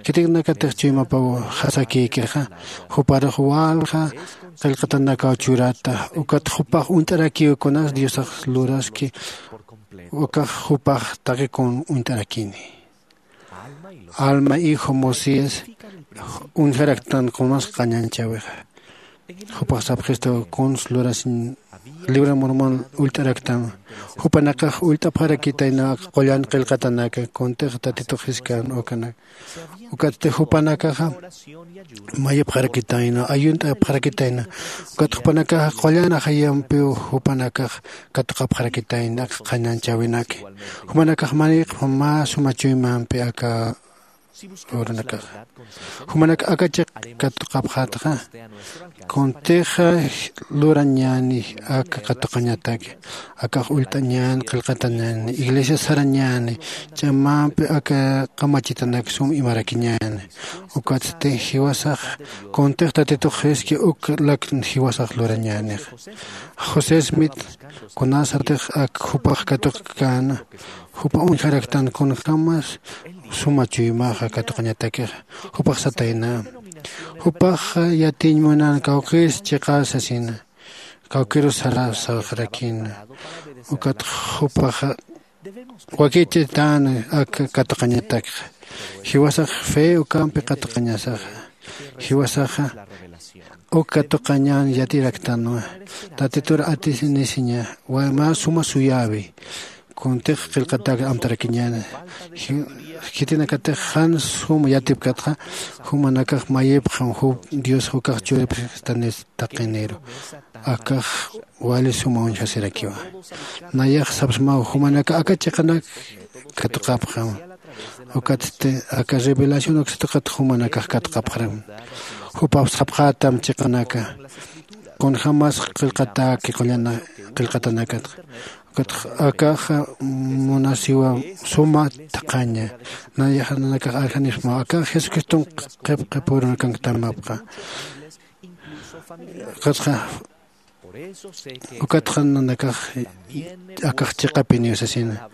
khitinakatix chuymapaw jasakïkixa juparux walja qillqatanakaw churata. Ukat jupax uñt'arakiw kunas diosax luraski ukax jupax taqi kun uñt'arakini. Alma hijo mosías uñjaraktan kunas qañanchäwixa. Jupax sapxistu kuns lurasiñ libro de mormon ullt'araktam. Jupanakax ullt'apxarakitayna qullan qillqatanaka kuntix tatitux jiskan ukanak. Ukatsti jupanakaxa mayipxarakitayna ayunt'apxarakitayna. Ukat jupanakaxa qullan ajayampiw jupanakax katuqapxarakitayna aka qañanchäwinaki. Jumanakax mayipxam mä suma chuymampi aka uranakaxa. Jumanak aka chiq katuqapxätxa kuntixa lurañäni aka katuqañataki. Akax ullt'añäni qillqatañäni iglesia sarañäni ch'amampi aka kamachitanak sum imarakiñäni. Ukatsti jiwasax kuntix tatitux jiski uk lak jiwasax lurañänix. José smith kunasatix ak jupax katuqkäna jupa uñjaraktan kunjämas suma chuymaxa katuqañatakixa. Jupax satayna jupax yatiñ munan kawkïrs chiqar sasina. Kawkïrus sara sawxarakïna. Ukat jupaxa wakichitän ak katuqañatakxa. Jiwasax fe ukampi katuqañasaxa. Jiwasaxa uk katuqañan yatiraktanwa. Tatitur atisinisiña mä suma suyäwi kuntix qillqatak amtarakiñäni. Khitinakatix jan suma yatipkatxa jumanakax mayipxam jup dios ukax churipxstanis taqiniru. Akax wali suma uñjasirakiwa. Nayax sapsmaw jumanakax aka chiqanak katuqapxam. Ukatsti aka revelación uksatuqat jumanakax katuqapxaram. Jupaw sapxätam chiqanaka kunjämas qillqatäki qullana qillqatanakatxa. Ukatxa akaxa munasiwa suma thaqhaña. Nayaxa nanakax arjanixma akax Jesucriston qhip qhipürunakanktamapxa. Ukatxa ukatxa nanakax akax chiqapiniw sasina.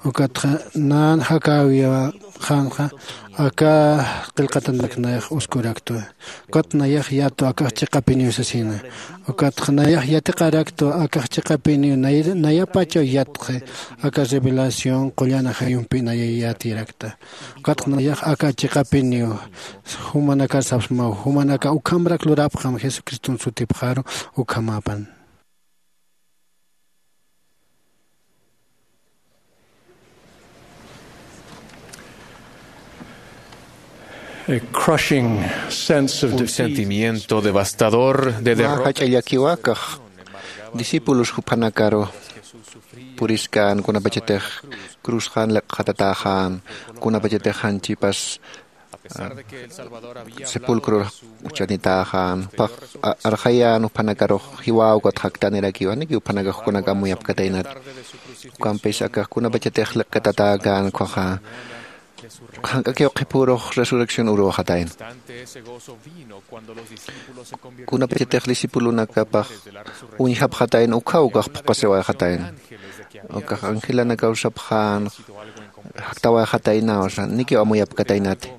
Ukatxa nan jakäwiwxänxa aka qillqatanak nayax uskuraktwa. Ukat nayax yatu akax chiqapiniw sasina. Ukatxa nayax yatiqaraktwa akax chiqapiniw nayapachaw yatxi aka revelación qullan ajayumpi naya yatirakta. Ukatxa nayax aka chiqapiniw jumanakar sapsmaw jumanaka ukhamarak lurapxam jesucriston sutipxaru. Ukhamapan. A crushing sense of un defeat. Sentimiento devastador de mä derrota jach'a llakiwa kax discípulos juphanakaru puriskän kunapachatix cruzxan liqxatatäxän kunapachatix janchipas sepulcror uchanitäxan jupax arxayän juphanakarux jiwäw ukat jaktanirakiw janiki juphanakax jukunak amuyapkataynat. Ukampis akax kunapachatix liq'itatäkän ukhaxa jank'akiw qhipürux resurrección uruwxatayna. Kunapachatix discipulonakapax uñjapxatayna ukhaw ukax phuqasiwayxatayna. Ukax angelanakaw sapxän jaktawayxataynaw sa nikiw amuyapkataynati.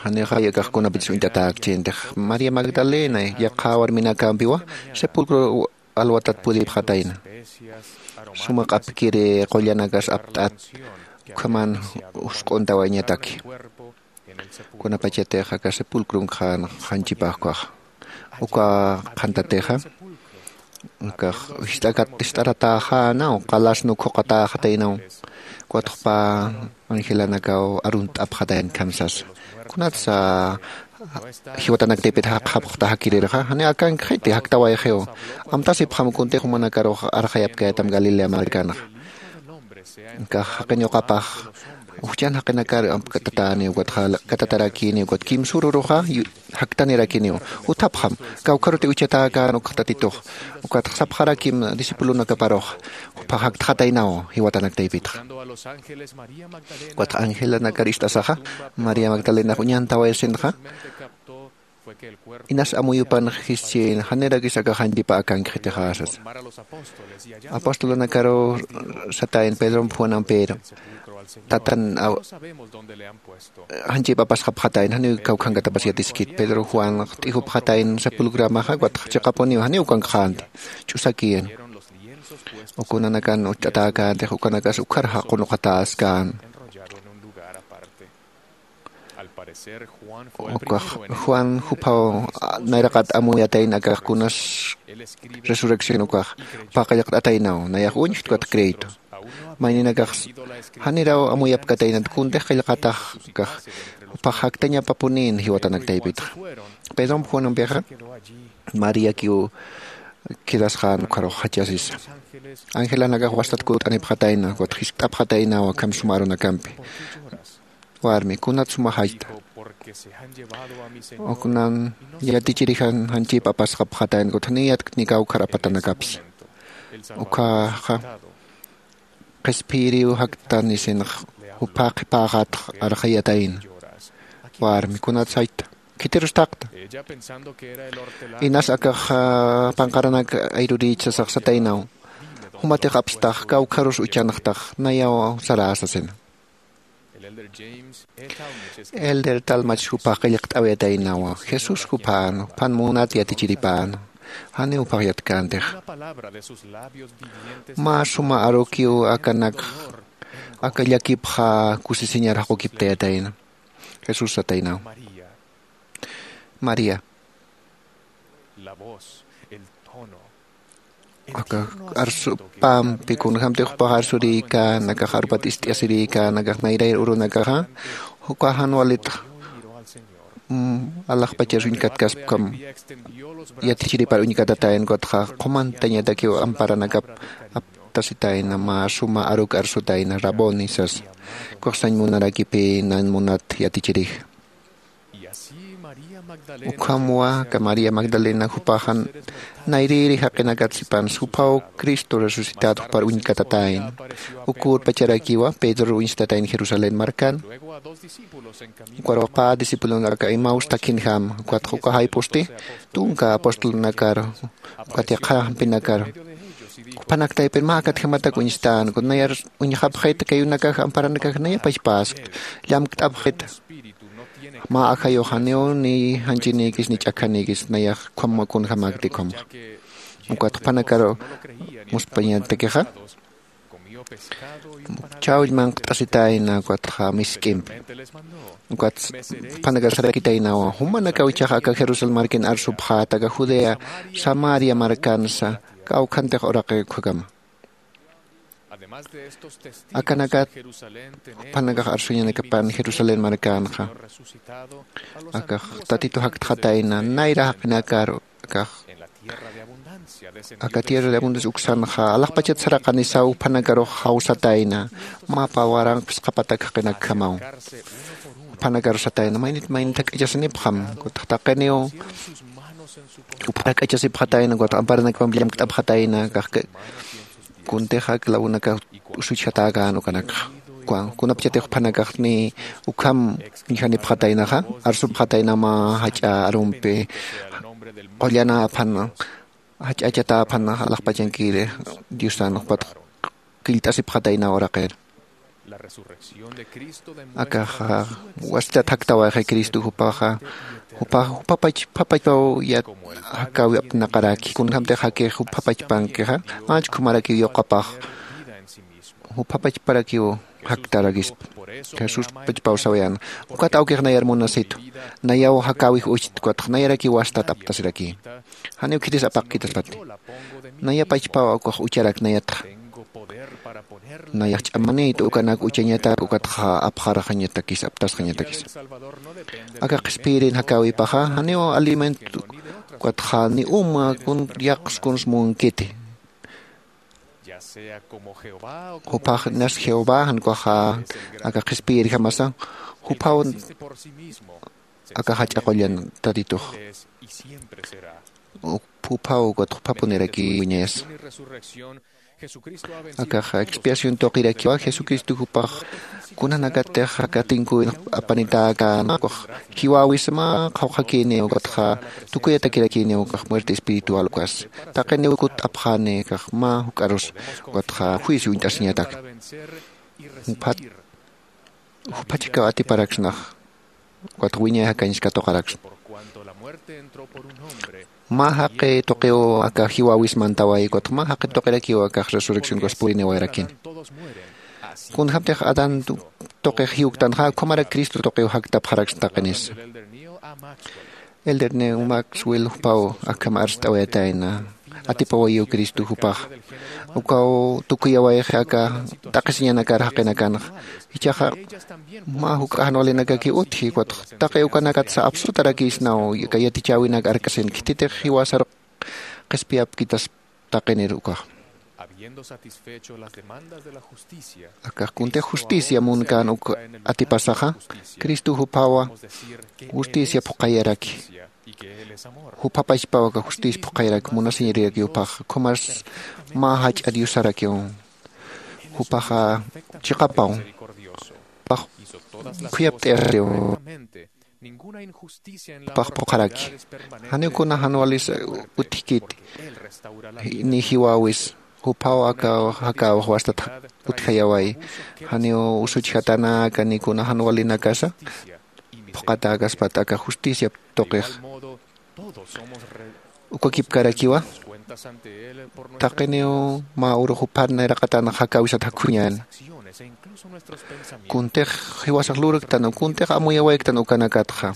Janixay akax kunapachas uñt'atäkchintix maría magdalena yaqha warminakampiwa sepulcro alwatat pudipxatayna. Suma q'apkiri qullanakas apt'at ukhaman jusk'untawayañataki. Kunapachatix aka sepulcron qhan janchipax ukaxa uka qhantatixa ukax jist'akat jist'aratäxänaw qalasnu khuqatäxataynaw. Ukat jupa angelanakaw arunt'apxatayna khamsasa kunatsa jiwatanaktaypit jaqxapxta jakirirxa jani akankxiti jaktawayxiw. Amtasipxam kuntix jumanakarux arxayapkayatam galilea markanxa. Kax jaqin uqapax ujchan jaqinakar amkatatäniw ukatxa liq'katatarakiniw ukat kimsüruruxa jaktanirakiniw. Juthapxam kawkharuti uchatäkän ukx tatitux. Ukatxa sapxarakim discipulonakaparux juphax jaktxataynaw jiwatanaktaypitxa. Ukatxa angelanakar ist'asaxa maría magdalenax uñantawayasinxa inas amuyupan jischin janirakis akax janchipa akankxitixa sasa. Apostolonakaruw satayna pedrom juanampir tatan janchip apasxapxatayna janiw kawkhankatapas yatiskit pedro juan t'ijupxatayna sepulcramaxa ukatxa chiqapuniw janiw ukankxänti. Ch'usakiyana ukunanakan ucht'atäkäntix ukanakas ukhar jaqunuqatäskän. Ukax juan juphaw nayraqat amuyatayna akax kunas resurrección ukax jupax qillqt'ataynaw nayax uñjtkat crédito. Mayninakax janiraw amuyapkataynat kuntix qillqatax ukax jupax jaktañapapunïn jiwatanaktaypitxa. Pedromp juanampixa mariakiw quedasxän ukharux jachasisa. Angelanakax wastat kunt'anipxatayna ukat jiskt'apxataynaw akham suma arunakampi. Warmi kunat suma jachta uknan yatichirijan janchip apasxapxatayna ukat janiw yatkni kawkhar apatanakapsa. Ukhaxa qhispiyiriw jaktan isinx jupha qhipäxatx arxayatayna. Warmi kunat jachta khitirus thaqta. Inas akax panqaranak ayrurïch sasax sataynaw jumatix apstax kawkharus uchanxtax nayaw sarä sasina. Elder talmach jupax qillqt'awayataynawa jesús juphan juphan munat yatichiripäna. Janiw juphax yatkäntixa. Mä suma arukiw akanakx aka llakipxa kusisiñar jaqukiptayatayna. Jesús sataynaw maría. Aka arsupampi kunjämtix jupax arsurïkän akax arpat ist'asirïkän akax nayrayr urunakaxa. Uka jan walitxa alaxpachar uñkatkaspkam yatichiripar uñkatatayna ukatxa qhumantañatakiw amparanakap aptasitayna mä suma aruk arsutayna raboni sasa. Ukax sañ munarakipï nañ munat yatichirix. Ukhamwa aka María Magdalena jupaxa nayrïri jaqinakat sipansa, juphaw Cristo resucitado jupar uñkatatäyna. Uk urpacharakiwa Pedro uñstatäyna Jerusalén markan. Ukarux pä discipulonaka Emaús thakinjama, ukatxa uka jayp'usti tunka apostolnakar, ukat yaqha jampinakar. Juphanak taypir mä akatjamatak uñstänku, nayar uñxapxit, kayunakax amparanakax nayapachpäskta, llamkt'apxit. Mä ajayux janiw ni janchinïkis ni ch'akhanïkis nayax ukham kunjamäkti ukham. Ukat juphanakar muspañatakixa chawll manqt'asitayna, ukatxa misk'impi. Ukat juphanakar sarakitaynawa, jumanakaw ichaxa aka Jerusalén markin arsupxäta, aka Judea, Samaria markansa kawkhantix uraqi ukkhakama. Akanakat juphanakax arsuñanakapan Jerusalén markanxa, akax Tatitu jaktxatayna nayra jaqinakar, akax aka tierra de abundancia uksanxa alaxpachat saraqanisaw, juphanakarux jawsatayna, mapa waranqa phisqa patak jaqinakjamaw. Juphanakarux satayna, maynit maynit jak'achasinipxam, ukatxa taqiniw juphanak jak'achasipxatayna, ukatxa amparanakjamampi llamkt'apxatayna, akax kuntixa clavonakax usuchjatäkän ukanakxa. Kunapachatix juphanakax ni ukham uñjanipxataynaxa, arsupxatayna mä jach'a arumpi, qullanäphan, jach'achatäphan alaxpachankiri Diosan, ukatxa killt'asipxatayna uraqir. Akaxa wastat jaktawayxi Cristo jupaxa, jupax juphapach, juphapachpaw yat jakäwi apnaqaraki, kunjamtix jakix juphapachpankixa, manchkhumaraki yuqapax, juphapachparakiw jaktarakispa. Jesús pachpaw sawayäna, ukat awkix nayar munasitu, nayaw jakäwix uchta, ukatxa nayarakiw wastat aptasiraki. Janiw khitis apaqkitaspati. Naya pachpaw ukax ucharak nayatxa. Nayax ch'amanïta ukanak uchañatak, ukatxa apxarxañatakis, aptasxañatakis. Aka qhispiyirin jakäwipaxa janiw alimento, ukatxa ni uma kun yaqs kuns munkiti. Juphax inas Jehová, jan ukaxa aka qhispiyirjamasa, juphaw aka jach'a qullan Tatitux. Juphaw, ukatxa juphapuniraki wiñayasa. Akax expiación tuqirakiwa, Jesucristo jupax kunanakatix aka tinkuwin apanitäkänxa, jiwäwisa mä qhawqhakïniw, ukatxa tukuyatakirakïniw ukax muerte espiritual ukas. Taqiniw kutt'apxani akax mä juk'arus, ukatxa juicio uñt'asiñatak. Juphat, juphachakaw atiparaksnax, ukatxa wiñay jakañs katuqaraksna. Mä jaqi tuqiw aka jiwäwis mantaway, ukatxa mä jaqi tuqirakiw akax resurrección ukas puriniwayarakin. Kunjamtix Adán tu-, tuqix jiwktanxa, ukhamarak Cristo tuqiw jaktapxaraksna taqinisa. Elder Neil Maxwell jupaw akham arst'awayatayna, atipawayiw Cristo jupax. Ukaw tukuyawayxi aka t'aqhisiñanakar jaqinakanxa. Jichhaxa mä juk'a jan walinakakiw utji, ukatxa taqi ukanakatsa apsutarakïsnaw, aka yatichäwinak arkasina, khititix jiwasar qhispiyapkitaspa taqinir ukax. Akax kuntix justicia munkän uk atipasaxa, Cristo juphawa justicia phuqhayaraki. Juphapachpaw aka justicia phuqhayaraki, munasiñariraki juphax, ukhamas mä jach'a Diosarakiw. Juphaxa chiqapaw, juphax khuyapt'ayasiw. Juphax phuqharaki. Janiw kuna jan walis utjkiti, ni jiwäwis, juphaw aka jakäwix wastat utjayaway. Janiw usuchjatanaka ni kuna jan walinakasa phuqhatäkaspat aka justicia tuqix. Ukakipkarakiwa, taqiniw mä urux juphan nayraqatan jakäwisat jakhuñäni. Kuntix jiwasax lurktan, kuntix amuyawayktan ukanakatxa,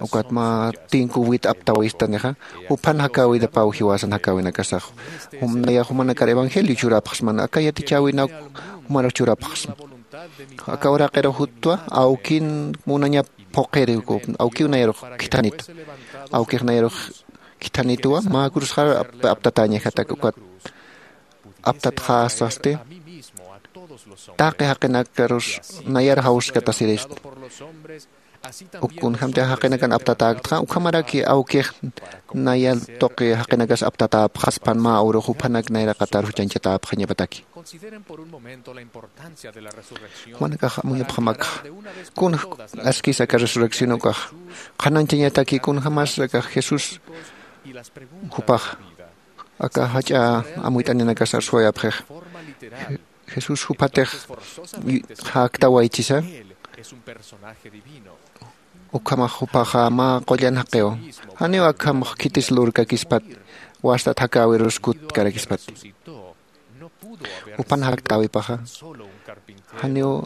ukat mä tinkuwit aptawistanixa, juphan jakäwitapaw jiwasan jakäwinakasax. Jum, nayax jumanakar evangelio churapxsman, aka yatichäwinak jumarak churapxsma. Aka uraqirux jutwa, awkin munañap phuqhiri, awkiw nayarux khithanitu. Awkix nayarux khithanituwa, mä cruzxar ap-, aptatäñajatak, ukat aptatxäsasti, taqi jaqinakarus nayar jawskatasirispa. Uk kunjämtix jaqinakan aptatäktxa ukhamaraki awkix naya tuqi jaqinakas aptatäpxaspan mä urux juphanak nayraqatar juchañchatäpxañapataki. Jumanakax amuyapxamakxa kun askis aka resurrección ukax qhanañchañataki kunjämas akax jesús jupax aka jach'a amuyt'aninakas arsuwayapxix. Jesús juphatix jaktawayichisa ukhamax jupaxa mä qullan jaqiw janiw akhamax khitis lurkakispat wastat jakäwirus kutkarakispati. Jupan jaktäwipaxa janiw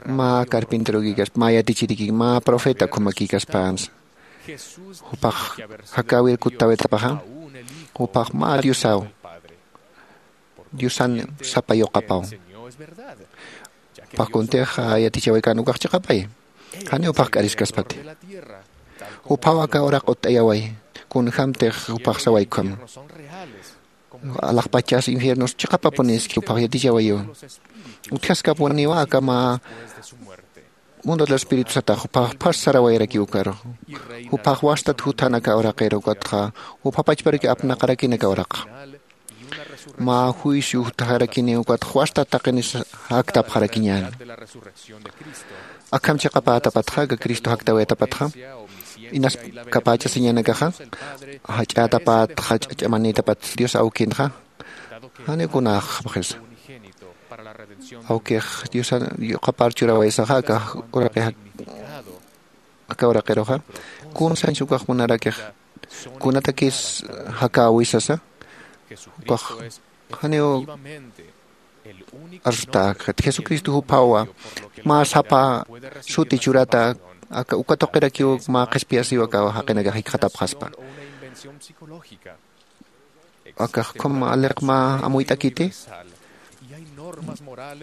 mä carpinterokikaspa mä yatichirikik mä profeta ukhamakïkaspänsa jupax jakäwir kuttawitapaxa jupax mä diosaw diosan sapa yuqapaw. Jupax kuntix yatichawaykan ukax chiqapay janiw jupax k'ariskaspati. Juphaw aka uraq utt'ayaway kunjämtix jupax saway ukhama alaxpachas infiernos chiqapapuniski jupax yatichawayiwa. Utjaskapuniwa aka mä mundo del espíritu satax jupax phas sarawayarakiw ukarux jupax wastat juthan aka uraqiru ukatxa jupha pachparaki apnaqarakin aka uraqa mä juicio jutjarakiniw ukatxa wastat taqinis jaktapxarakiñäni. Akham chiqapätapatxa aka cristo jaktawayatapatxa inas kapächasiñanakaxa jach'ätapatxa ch'ach'amanïtapat dios awkinxa janiw kunax sapxisa awkix diosan yuqapar churawaysaxa aka uraqi aka uraqiruxa kun sañsa ukax munarakix kunatakis jakäwisasa ukax janiw arsutäkxit jesucristo juphawa mä sapa suti churata aka uka tuqirakiw mä qhispiyasiw aka jaqinakax jikxatapxaspa. Akax ukham aliq mä amuyt'akiti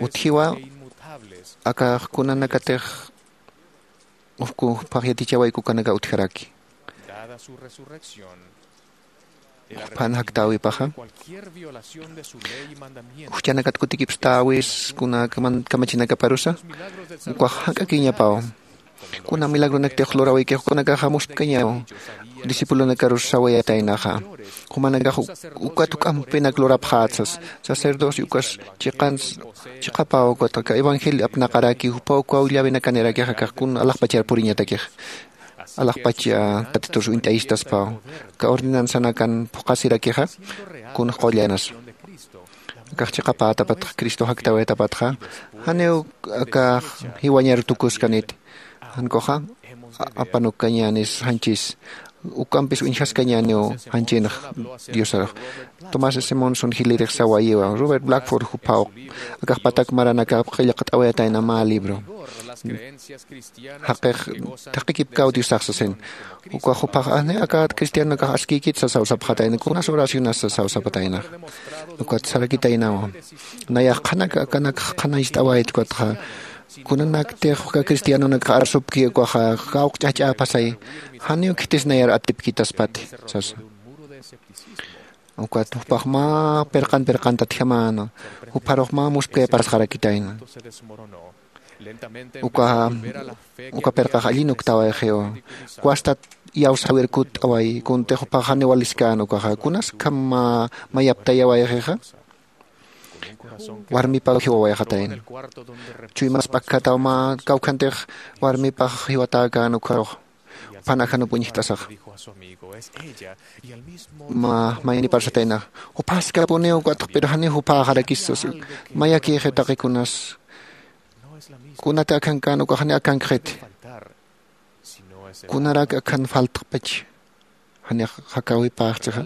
utjiwa akax kunanakatix ufku phaxyatichawayku kanaka utjaraki. Juphan jaktäwipaxa juchanakat kutikipstäwis kuna kamachinakaparusa ukax jank'akiñapaw. Kuna milagronaktix lurawikix ukanakaxa muspkañaw discipulonakarus sawayataynaxa jumanakax ukat juk'ampinak lurapxätsas sacerdocio ukas chiqans chiqapaw ukat aka evangelio apnaqaraki jupaw ukaw llawinakanirakixa akax kun alaxpachar puriñatakix alaxpach tatiturus uñt'ayistaspaw aka ordenansanakan phuqasirakixa kunax qullanasa. Akax chiqapätapatxa cristo jaktawayatapatxa janiw akax jiwañar tukuskaniti jankuxa apanukkañänis janchis ukampis uñjaskañäniw janchinx diosarux. Tomás simonson jilirix sawayiwa robert blackford jupaw akax patak maranakap qillqt'awayatayna mä libro jaqix thaqikipkaw diosax sasin ukax jupax ajni aka cristianonakax askïkit sasaw sapxatayna kunas oracionas sasaw sapataynax. Ukat sarakitaynawa nayax qhanak akanak qhanañcht'awayt ukatxa kunanaktix uka cristianonakxa arsupki ukaxa kawk ch'ajch'äpasay janiw khitis nayar atipkitaspati sasa. Ukat jupax mä pirqan pirqantatjamäna jupharux mä muspkayapasxarakitayna. Uka uka pirqax allin uktawayxiwa wastat iyawsäwir kutt'away kuntix jupax janiw waliskäna ukaxa kunas ukham mayaptayawayxixa warmipaw jiwawayxatayna. Chuymas p'akkhataw mä kawkhantix warmipax jiwatäkäna ukharux juphan ajanup uñjt'asaxa mä mayniparsataynaxa juphäskapuniw ukatx pero janiw juphaxarakis sasa mayakïxi taqi kunas kunati akhankän ukax janiw akhankxiti kunarak akhan faltxpach janix jakäwipäxchixa.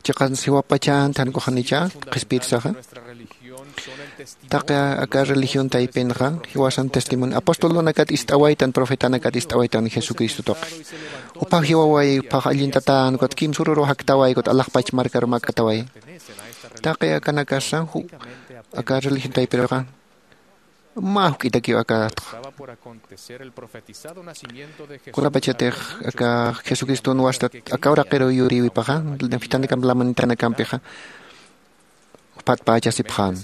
Chiqans jiwapachanti jankuxanicha qhispiyit saxa taqi aka religión taypinxa jiwasan testimonio apostolunakat ist'awaytan profetanakat ist'awaytan jesucristo tuqi jupax jiwaway jupax allintatän ukat kimsururu jaktaway ukat alaxpach markaru makataway taqi akanakasa aka religión taypiruxa mä juk'itakiw akatxa kunapachatix aka jesucriston wastat aka uraqiru yurïwipaxa fitanakamp lamanitanakampixa phatpachasipxän.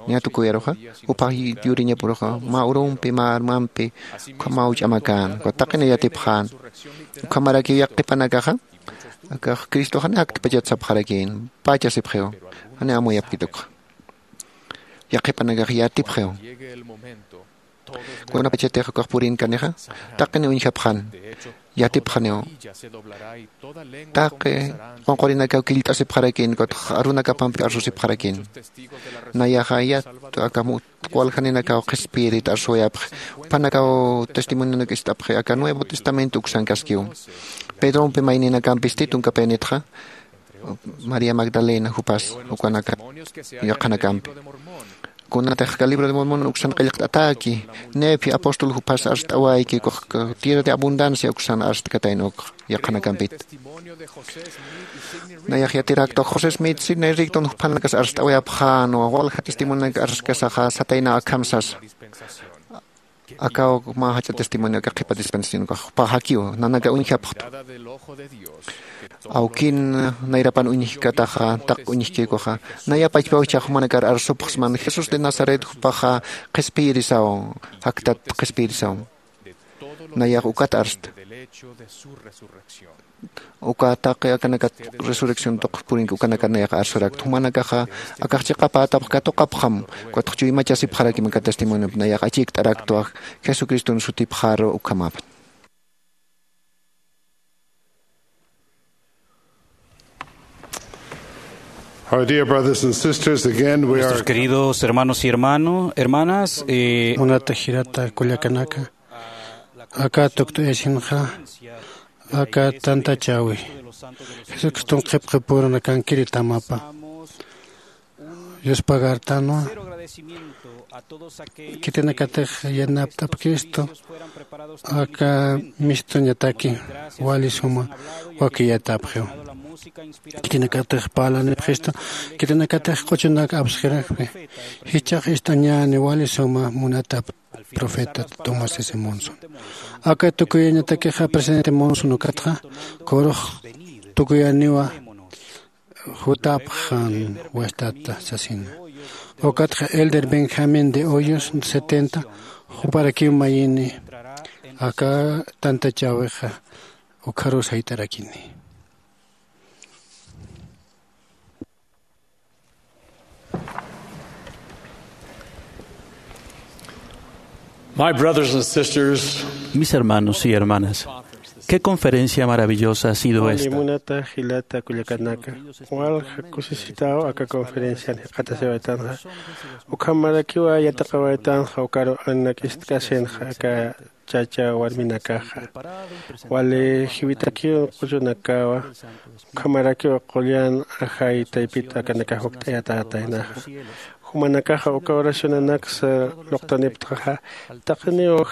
Ña tukuyaruxa, jupax yuriñapuruxa mä urumpi mä armampi ukhamaw ch'amakän, ukat taqina yatipxän. Ukhamarakiw yaqhipanakaxa, akax cristoxani jaktpachat sapxarakïn, pachasipxiw, jani amuyapkituxa. Yaqhipanakax yatipxiw. Kunapachatix ukax purinkanixa, taqini uñjapxan, yatipxaniw. Taqi qunqurinakaw killt'asipxarakïn, ukatx arunakapampi arsusipxarakïn. Nayaxa yat aka waljaninakaw qhispiyirit arsuwayapxi, jupanakaw testimonionak ist'apxi aka Nuevo Testamento uksankaskiw. Pedrompi mayninakampis titunkapinitxa, María Magdalena jupas ukanaka yaqhanakampi. Kunatix ka libro de Mormon uksan qillqt'atäki, Nefi apóstol jupas arst'awayki, ukax tierra de abundancia uksan arstkatayn uk yaqhanakampit. Nayax yatirakta José Smith, Sidney Rigdon juphanakas arst'awayapxän, walja testimonionak arskasaxa sataynaw akham sasa. Akaw mä jach'a testimonio aka qhipa dispensación ukax jupax jakiw, nanaka uñjapxtu. Awkin nayrapan uñjkataxa, taq uñjkïkuxa, naya pachpaw jichhax jumanakar arsupxsman, Jesús de Nazaret jupaxa qhispiyirisaw, jaktat qhispiyirisaw. Nayax ukat arsta. Uka taqi akanakat resurrección tuq purinki, ukanaka nayax arsurakta. Jumanakaxa akax chiqapätapx katuqapxam, ukatx chuymachasipxarakim aka testimoniopi, nayax achikt'araktwa Jesucriston sutipxaru ukhamapxi. Our dear brothers and sisters, again, we Nuestros are queridos hermanos y hermano, hermanas, eh, Munata jilata kullakanaka, aka tukt'ayasinxa, aka tantachäwi Jesucriston qhipqipurana kankiri tamapa. Yuspagartanwa, khitinakatix yanapt'apkistu, aka mistuñataki wali suma wakiyatapxiw. Khitinakatix parlanipxistu, khitinakatix q'uchunak apsxirakpi. Jichhax ist'añäni wali suma munatap profeta Thomas S. Monson. Aka tukuyañatakixa presidente Monson ukatxa, kurux tukuyaniwa jutapxan wastata sasina. Ukatxa Elder Benjamín de Hoyos setenta, juparakiw mayini, aka tantachäwixa ukxarus jayt'arakini. My brothers and sisters, mis hermanos y hermanas, qué conferencia maravillosa ha sido esta. Munata jilata kullakanaka, walja kusisitaw aka conferencian jikxatasiwaytanxa. Ukhamarakiwa yatiqawaytanxa ukaru anak'istkasinxa aka chacha warminakaxa. Wali jiwitakiw q'uchunakawa, ukhamarakiw qullan ajay taypit akanakax wakt'ayatätaynaxa. Jumanakaxa uka oracionanaksa luqtaniptxa, taqiniw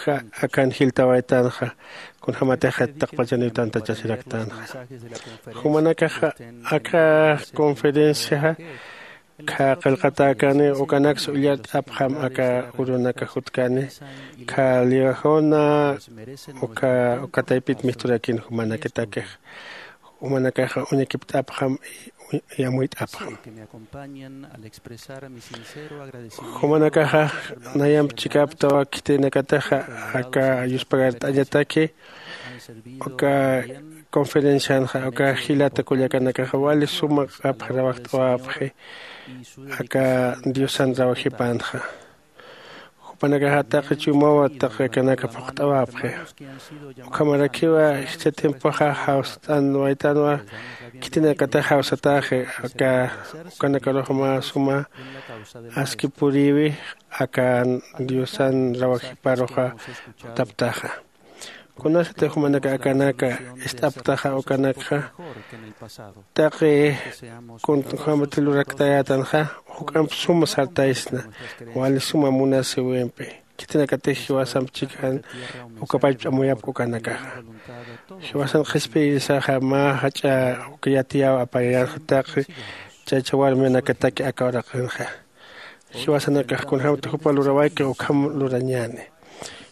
akan jiltawaytanxa, kunjämatix taqpachaniw tantachasiraktanxa. Jumanakaxa aka conferenciaxa, kha qillqatäkani, ukanaksa ullart'apxam aka urunaka jutkani, kha liwajuna, uka, uka taypit misturakin jumanakatakix. Jumanakaxa uñakipt'apxam, y, y amuyt'apxam. Jumanakaxa nayamp chikaptawa khitinakataxa aka yuspagart'añataki, uka conferencianxa, uka jilata kullakanakaxa wali suma q'apxarawaqt'awapxi, aka Diosan rawajipanxa. Jupanakaxa taqi chuymawa taqi akanaka phuqt'awapxi. Ukhamarakiwa jichha tiempoxa jawst'anwaytanwa, khitinakatax jawsataxi, aka, ukanakarux mä suma aski puriwi, aka Diosan rawajiparuxa jutaptaxa. Kunasati jumanaka akanaka ist'aptaxa ukanakxa, taqi kunjämati luraktayätanxa, juk'amp suma sartaysna, wali suma munasiwimpi. Khitinakatix jiwasamp chikxan uka pachpa amuyapk ukanakaxa. Jiwasan qhispiyirisaxa mä jach'a uka yatiyaw apayarxa taqi chacha warminakataki aka uraqinxa. Jiwasanakax kunjämati jupa lurawayki ukham lurañäni.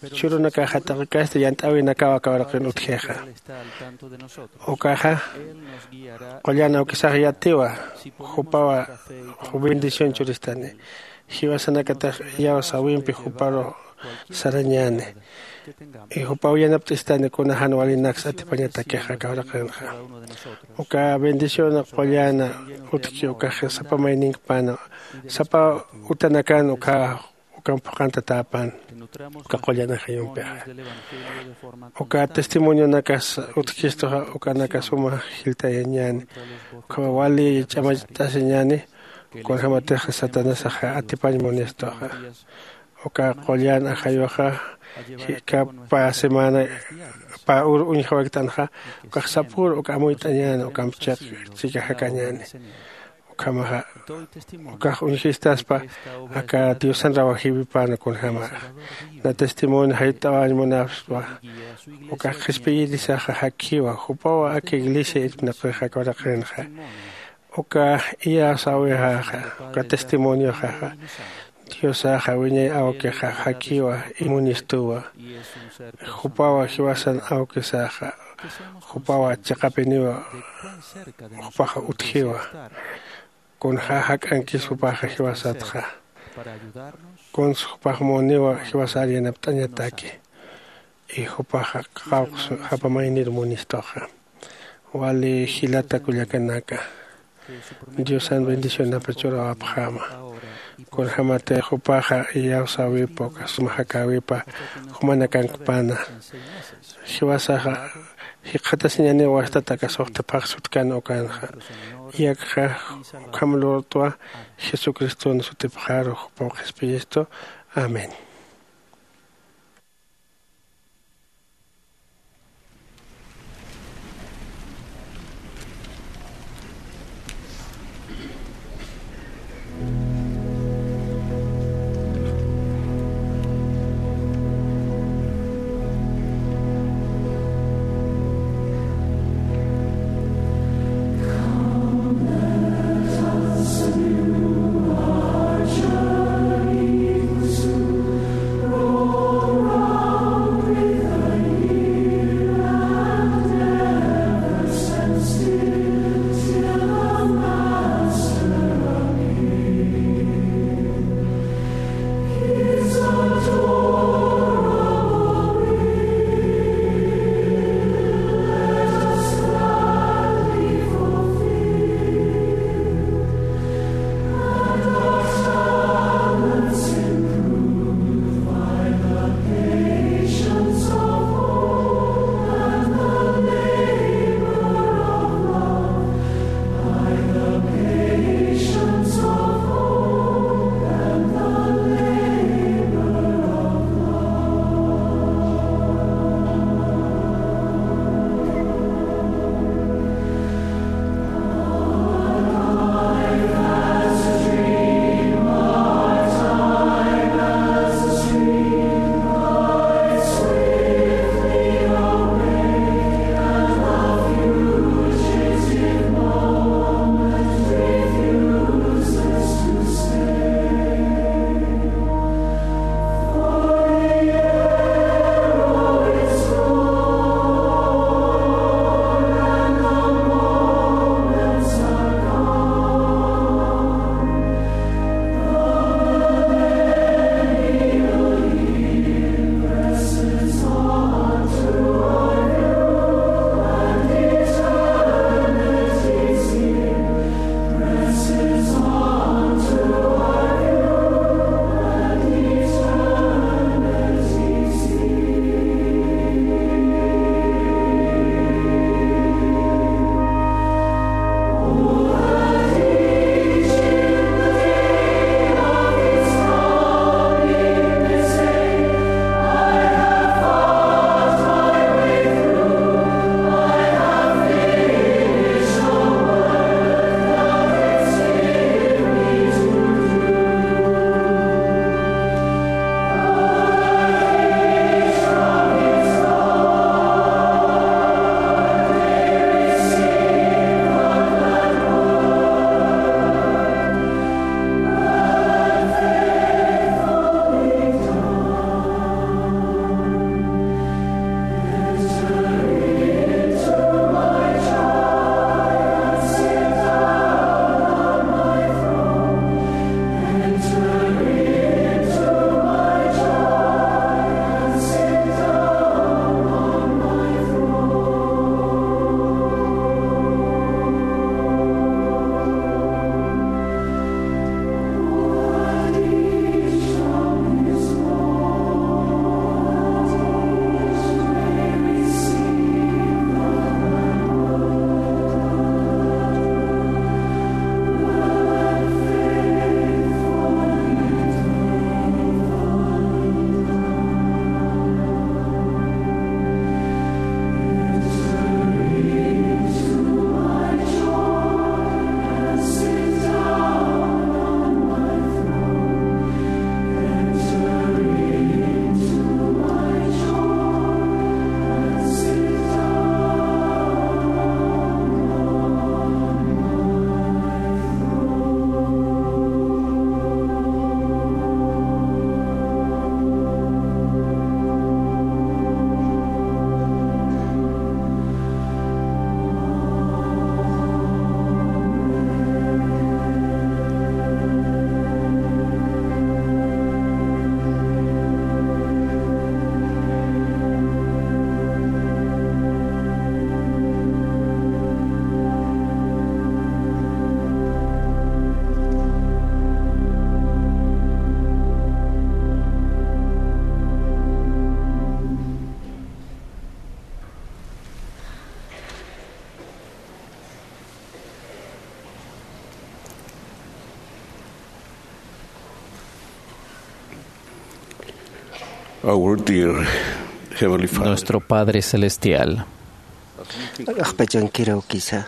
churunakaxa taqikasti yant'äwinakaw aka uraqin utjixa. Ukaxa qullan awkisax yatiwa, jupawa bendición churistani. Jiwasanakatax iyawsäwimpi juparu sarañäni. Y jupaw yanapt'istani kuna jan walinaksa atipañatakixa aka uraqinxa. Uka bendición qullan utjki ukax sapa mayninkpana, sapa utanakan uka ukan phuqhantatäpan uka qullan ajayumpixa. Uka testimonionakas utjkistuxa ukanaka suma jiltayañäni. Ukhama wali ch'amacht'asiñäni kunjämatix Satanasaxa atipañ munistuxa. Uka qullan ajayuxa jikap pä semana pä ur uñjawaykt'anxa, ukax sapür uka amuyt'añäni, ukamp chiq chika jakañäni. Ukhamaxa ukax uñjistaspa aka Diosan rawajïwipan kunjäma. Na testimonio jayt'awañ munapspa, ukax qhispiyirisaxa jakjiwa, jupawa aka iglesia irpnaqixa aka uraqinxa. Uka iyawsäwixaxa, uka testimonioxaxa, Diosaxa wiñay awkixa jakjiwa, imunistuwa. Jupawa jiwasan awkisaxa, jupawa chiqapiniwa, jupaxa utjiwa. Kunja jak'ankis jupaxa jiwasatxa. Kuns jupax muniwa jiwasar yanapt'añataki. Y jupaxa qawqs japa maynir munistuxa. Wali jilata kullakanaka, Diosan bendicionapa churawapxäma. Kunjämatix jupaxa iyawsäwipa uka suma jakäwipa jumanakankpana. Jiwasaxa jikxatasiñäniw wastat aka suxta phaxs utjkän ukanxa. Iyakxa ukham lurtwa Jesucriston sutipxaru jupaw qhispiyistu. Amén. Our dear Heavenly Father. Nuestro Padre Celestial. Ajpachankiraw kisa.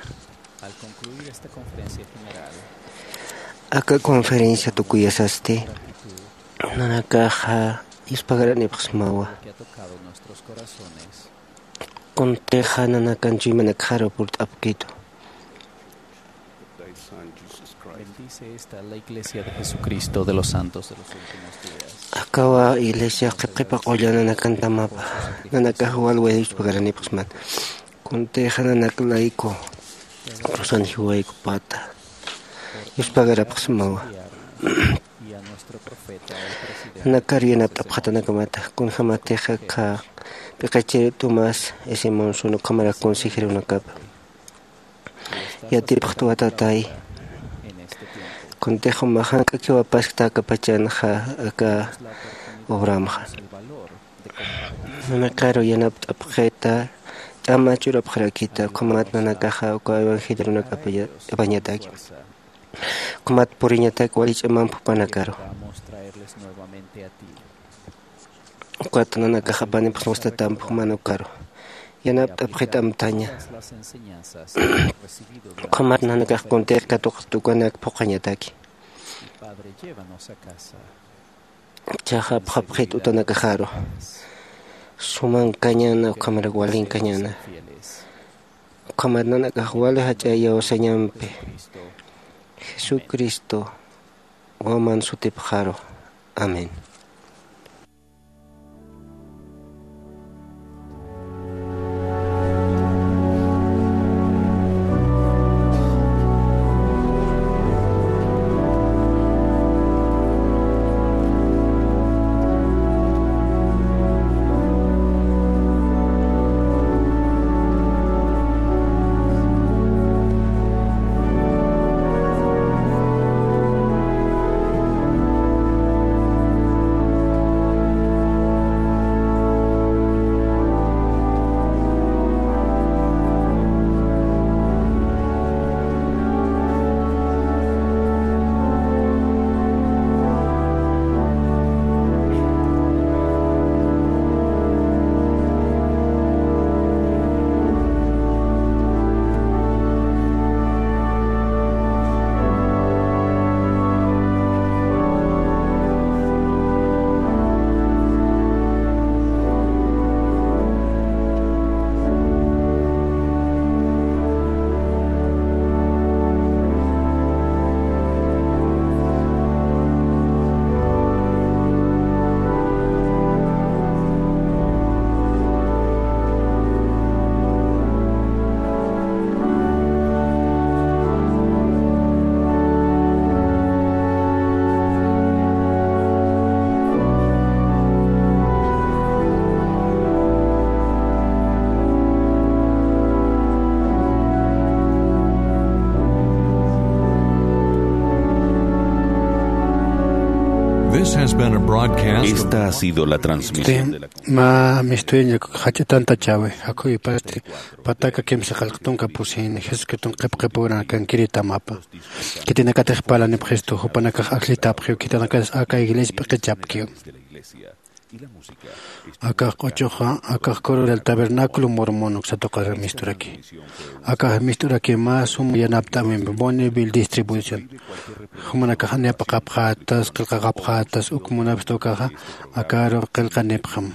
Al concluir esta conferencia general, aka conferencia tukuyasasti, nanakaxa yuspagaranipaxsmawa. Que ha tocado nuestros corazones. Kuntixa nanakan chuymanakxaru purt'apkitu. Bendice esta la iglesia de Jesucristo de los Santos de los Últimos Días. Akawa iglesia qhipqhipa qulla nanakantamapa, nanakax walway yuspagaranipaxsmata. Kuntixa nanak layku, rusan jiwaykupata yuspagarapxsmawa. Nanakar yanapt'apxatanakamata, kunjamatixa kha p'iqichir Tomás S. Monson ukhamarak consejerunakapa yatipxtwa, Tatay. Kuntix jumax jank'akiw apaskta aka pachanxa, aka obramxa. Nanakaru yanapt'apxita, ch'ama churapxarakita, ukhamat nanakaxa uka evangelionak apaña-, apañataki. Ukhamat puriñatak wali ch'amamp jupanakaru. Ukat nanakax apanipxsmastatamp juman ukaru. Yanapt'apxit amtaña. Ukhamat nanakax kuntix katuqat ukanak phuqhañataki. Chaxa apxapxit utanakaxaru. Sumankañana, ukhamarak walinkañana. Ukhamat nanakax wali jach'a iyawsañampi Jesucristo waman sutipxaru. Amén. This has been a broadcast of Esta ha sido la transmisión de la Mä mistuyañak jach'a tantachäwi, jakhuypasti pataka kimsa qallq tunka pusini, Jesucriston qhipqhipuranakankiritamapan. Khitinakatix parlanipxistu, jupanakax ajllitapxiw, khitinakatix aka iglesia p'iqichapkiw. Akax q'uchuxa, akax coro del tabernáculo mormón uksa tuqir misturaki. Akax mist'uraki mä suma yanapt'äwimpi Bonneville Distribution. Jumanakax aniyapaqapxätas, qillqaqapxätas, uk munapxta ukaxa, akaru qillqanipxam.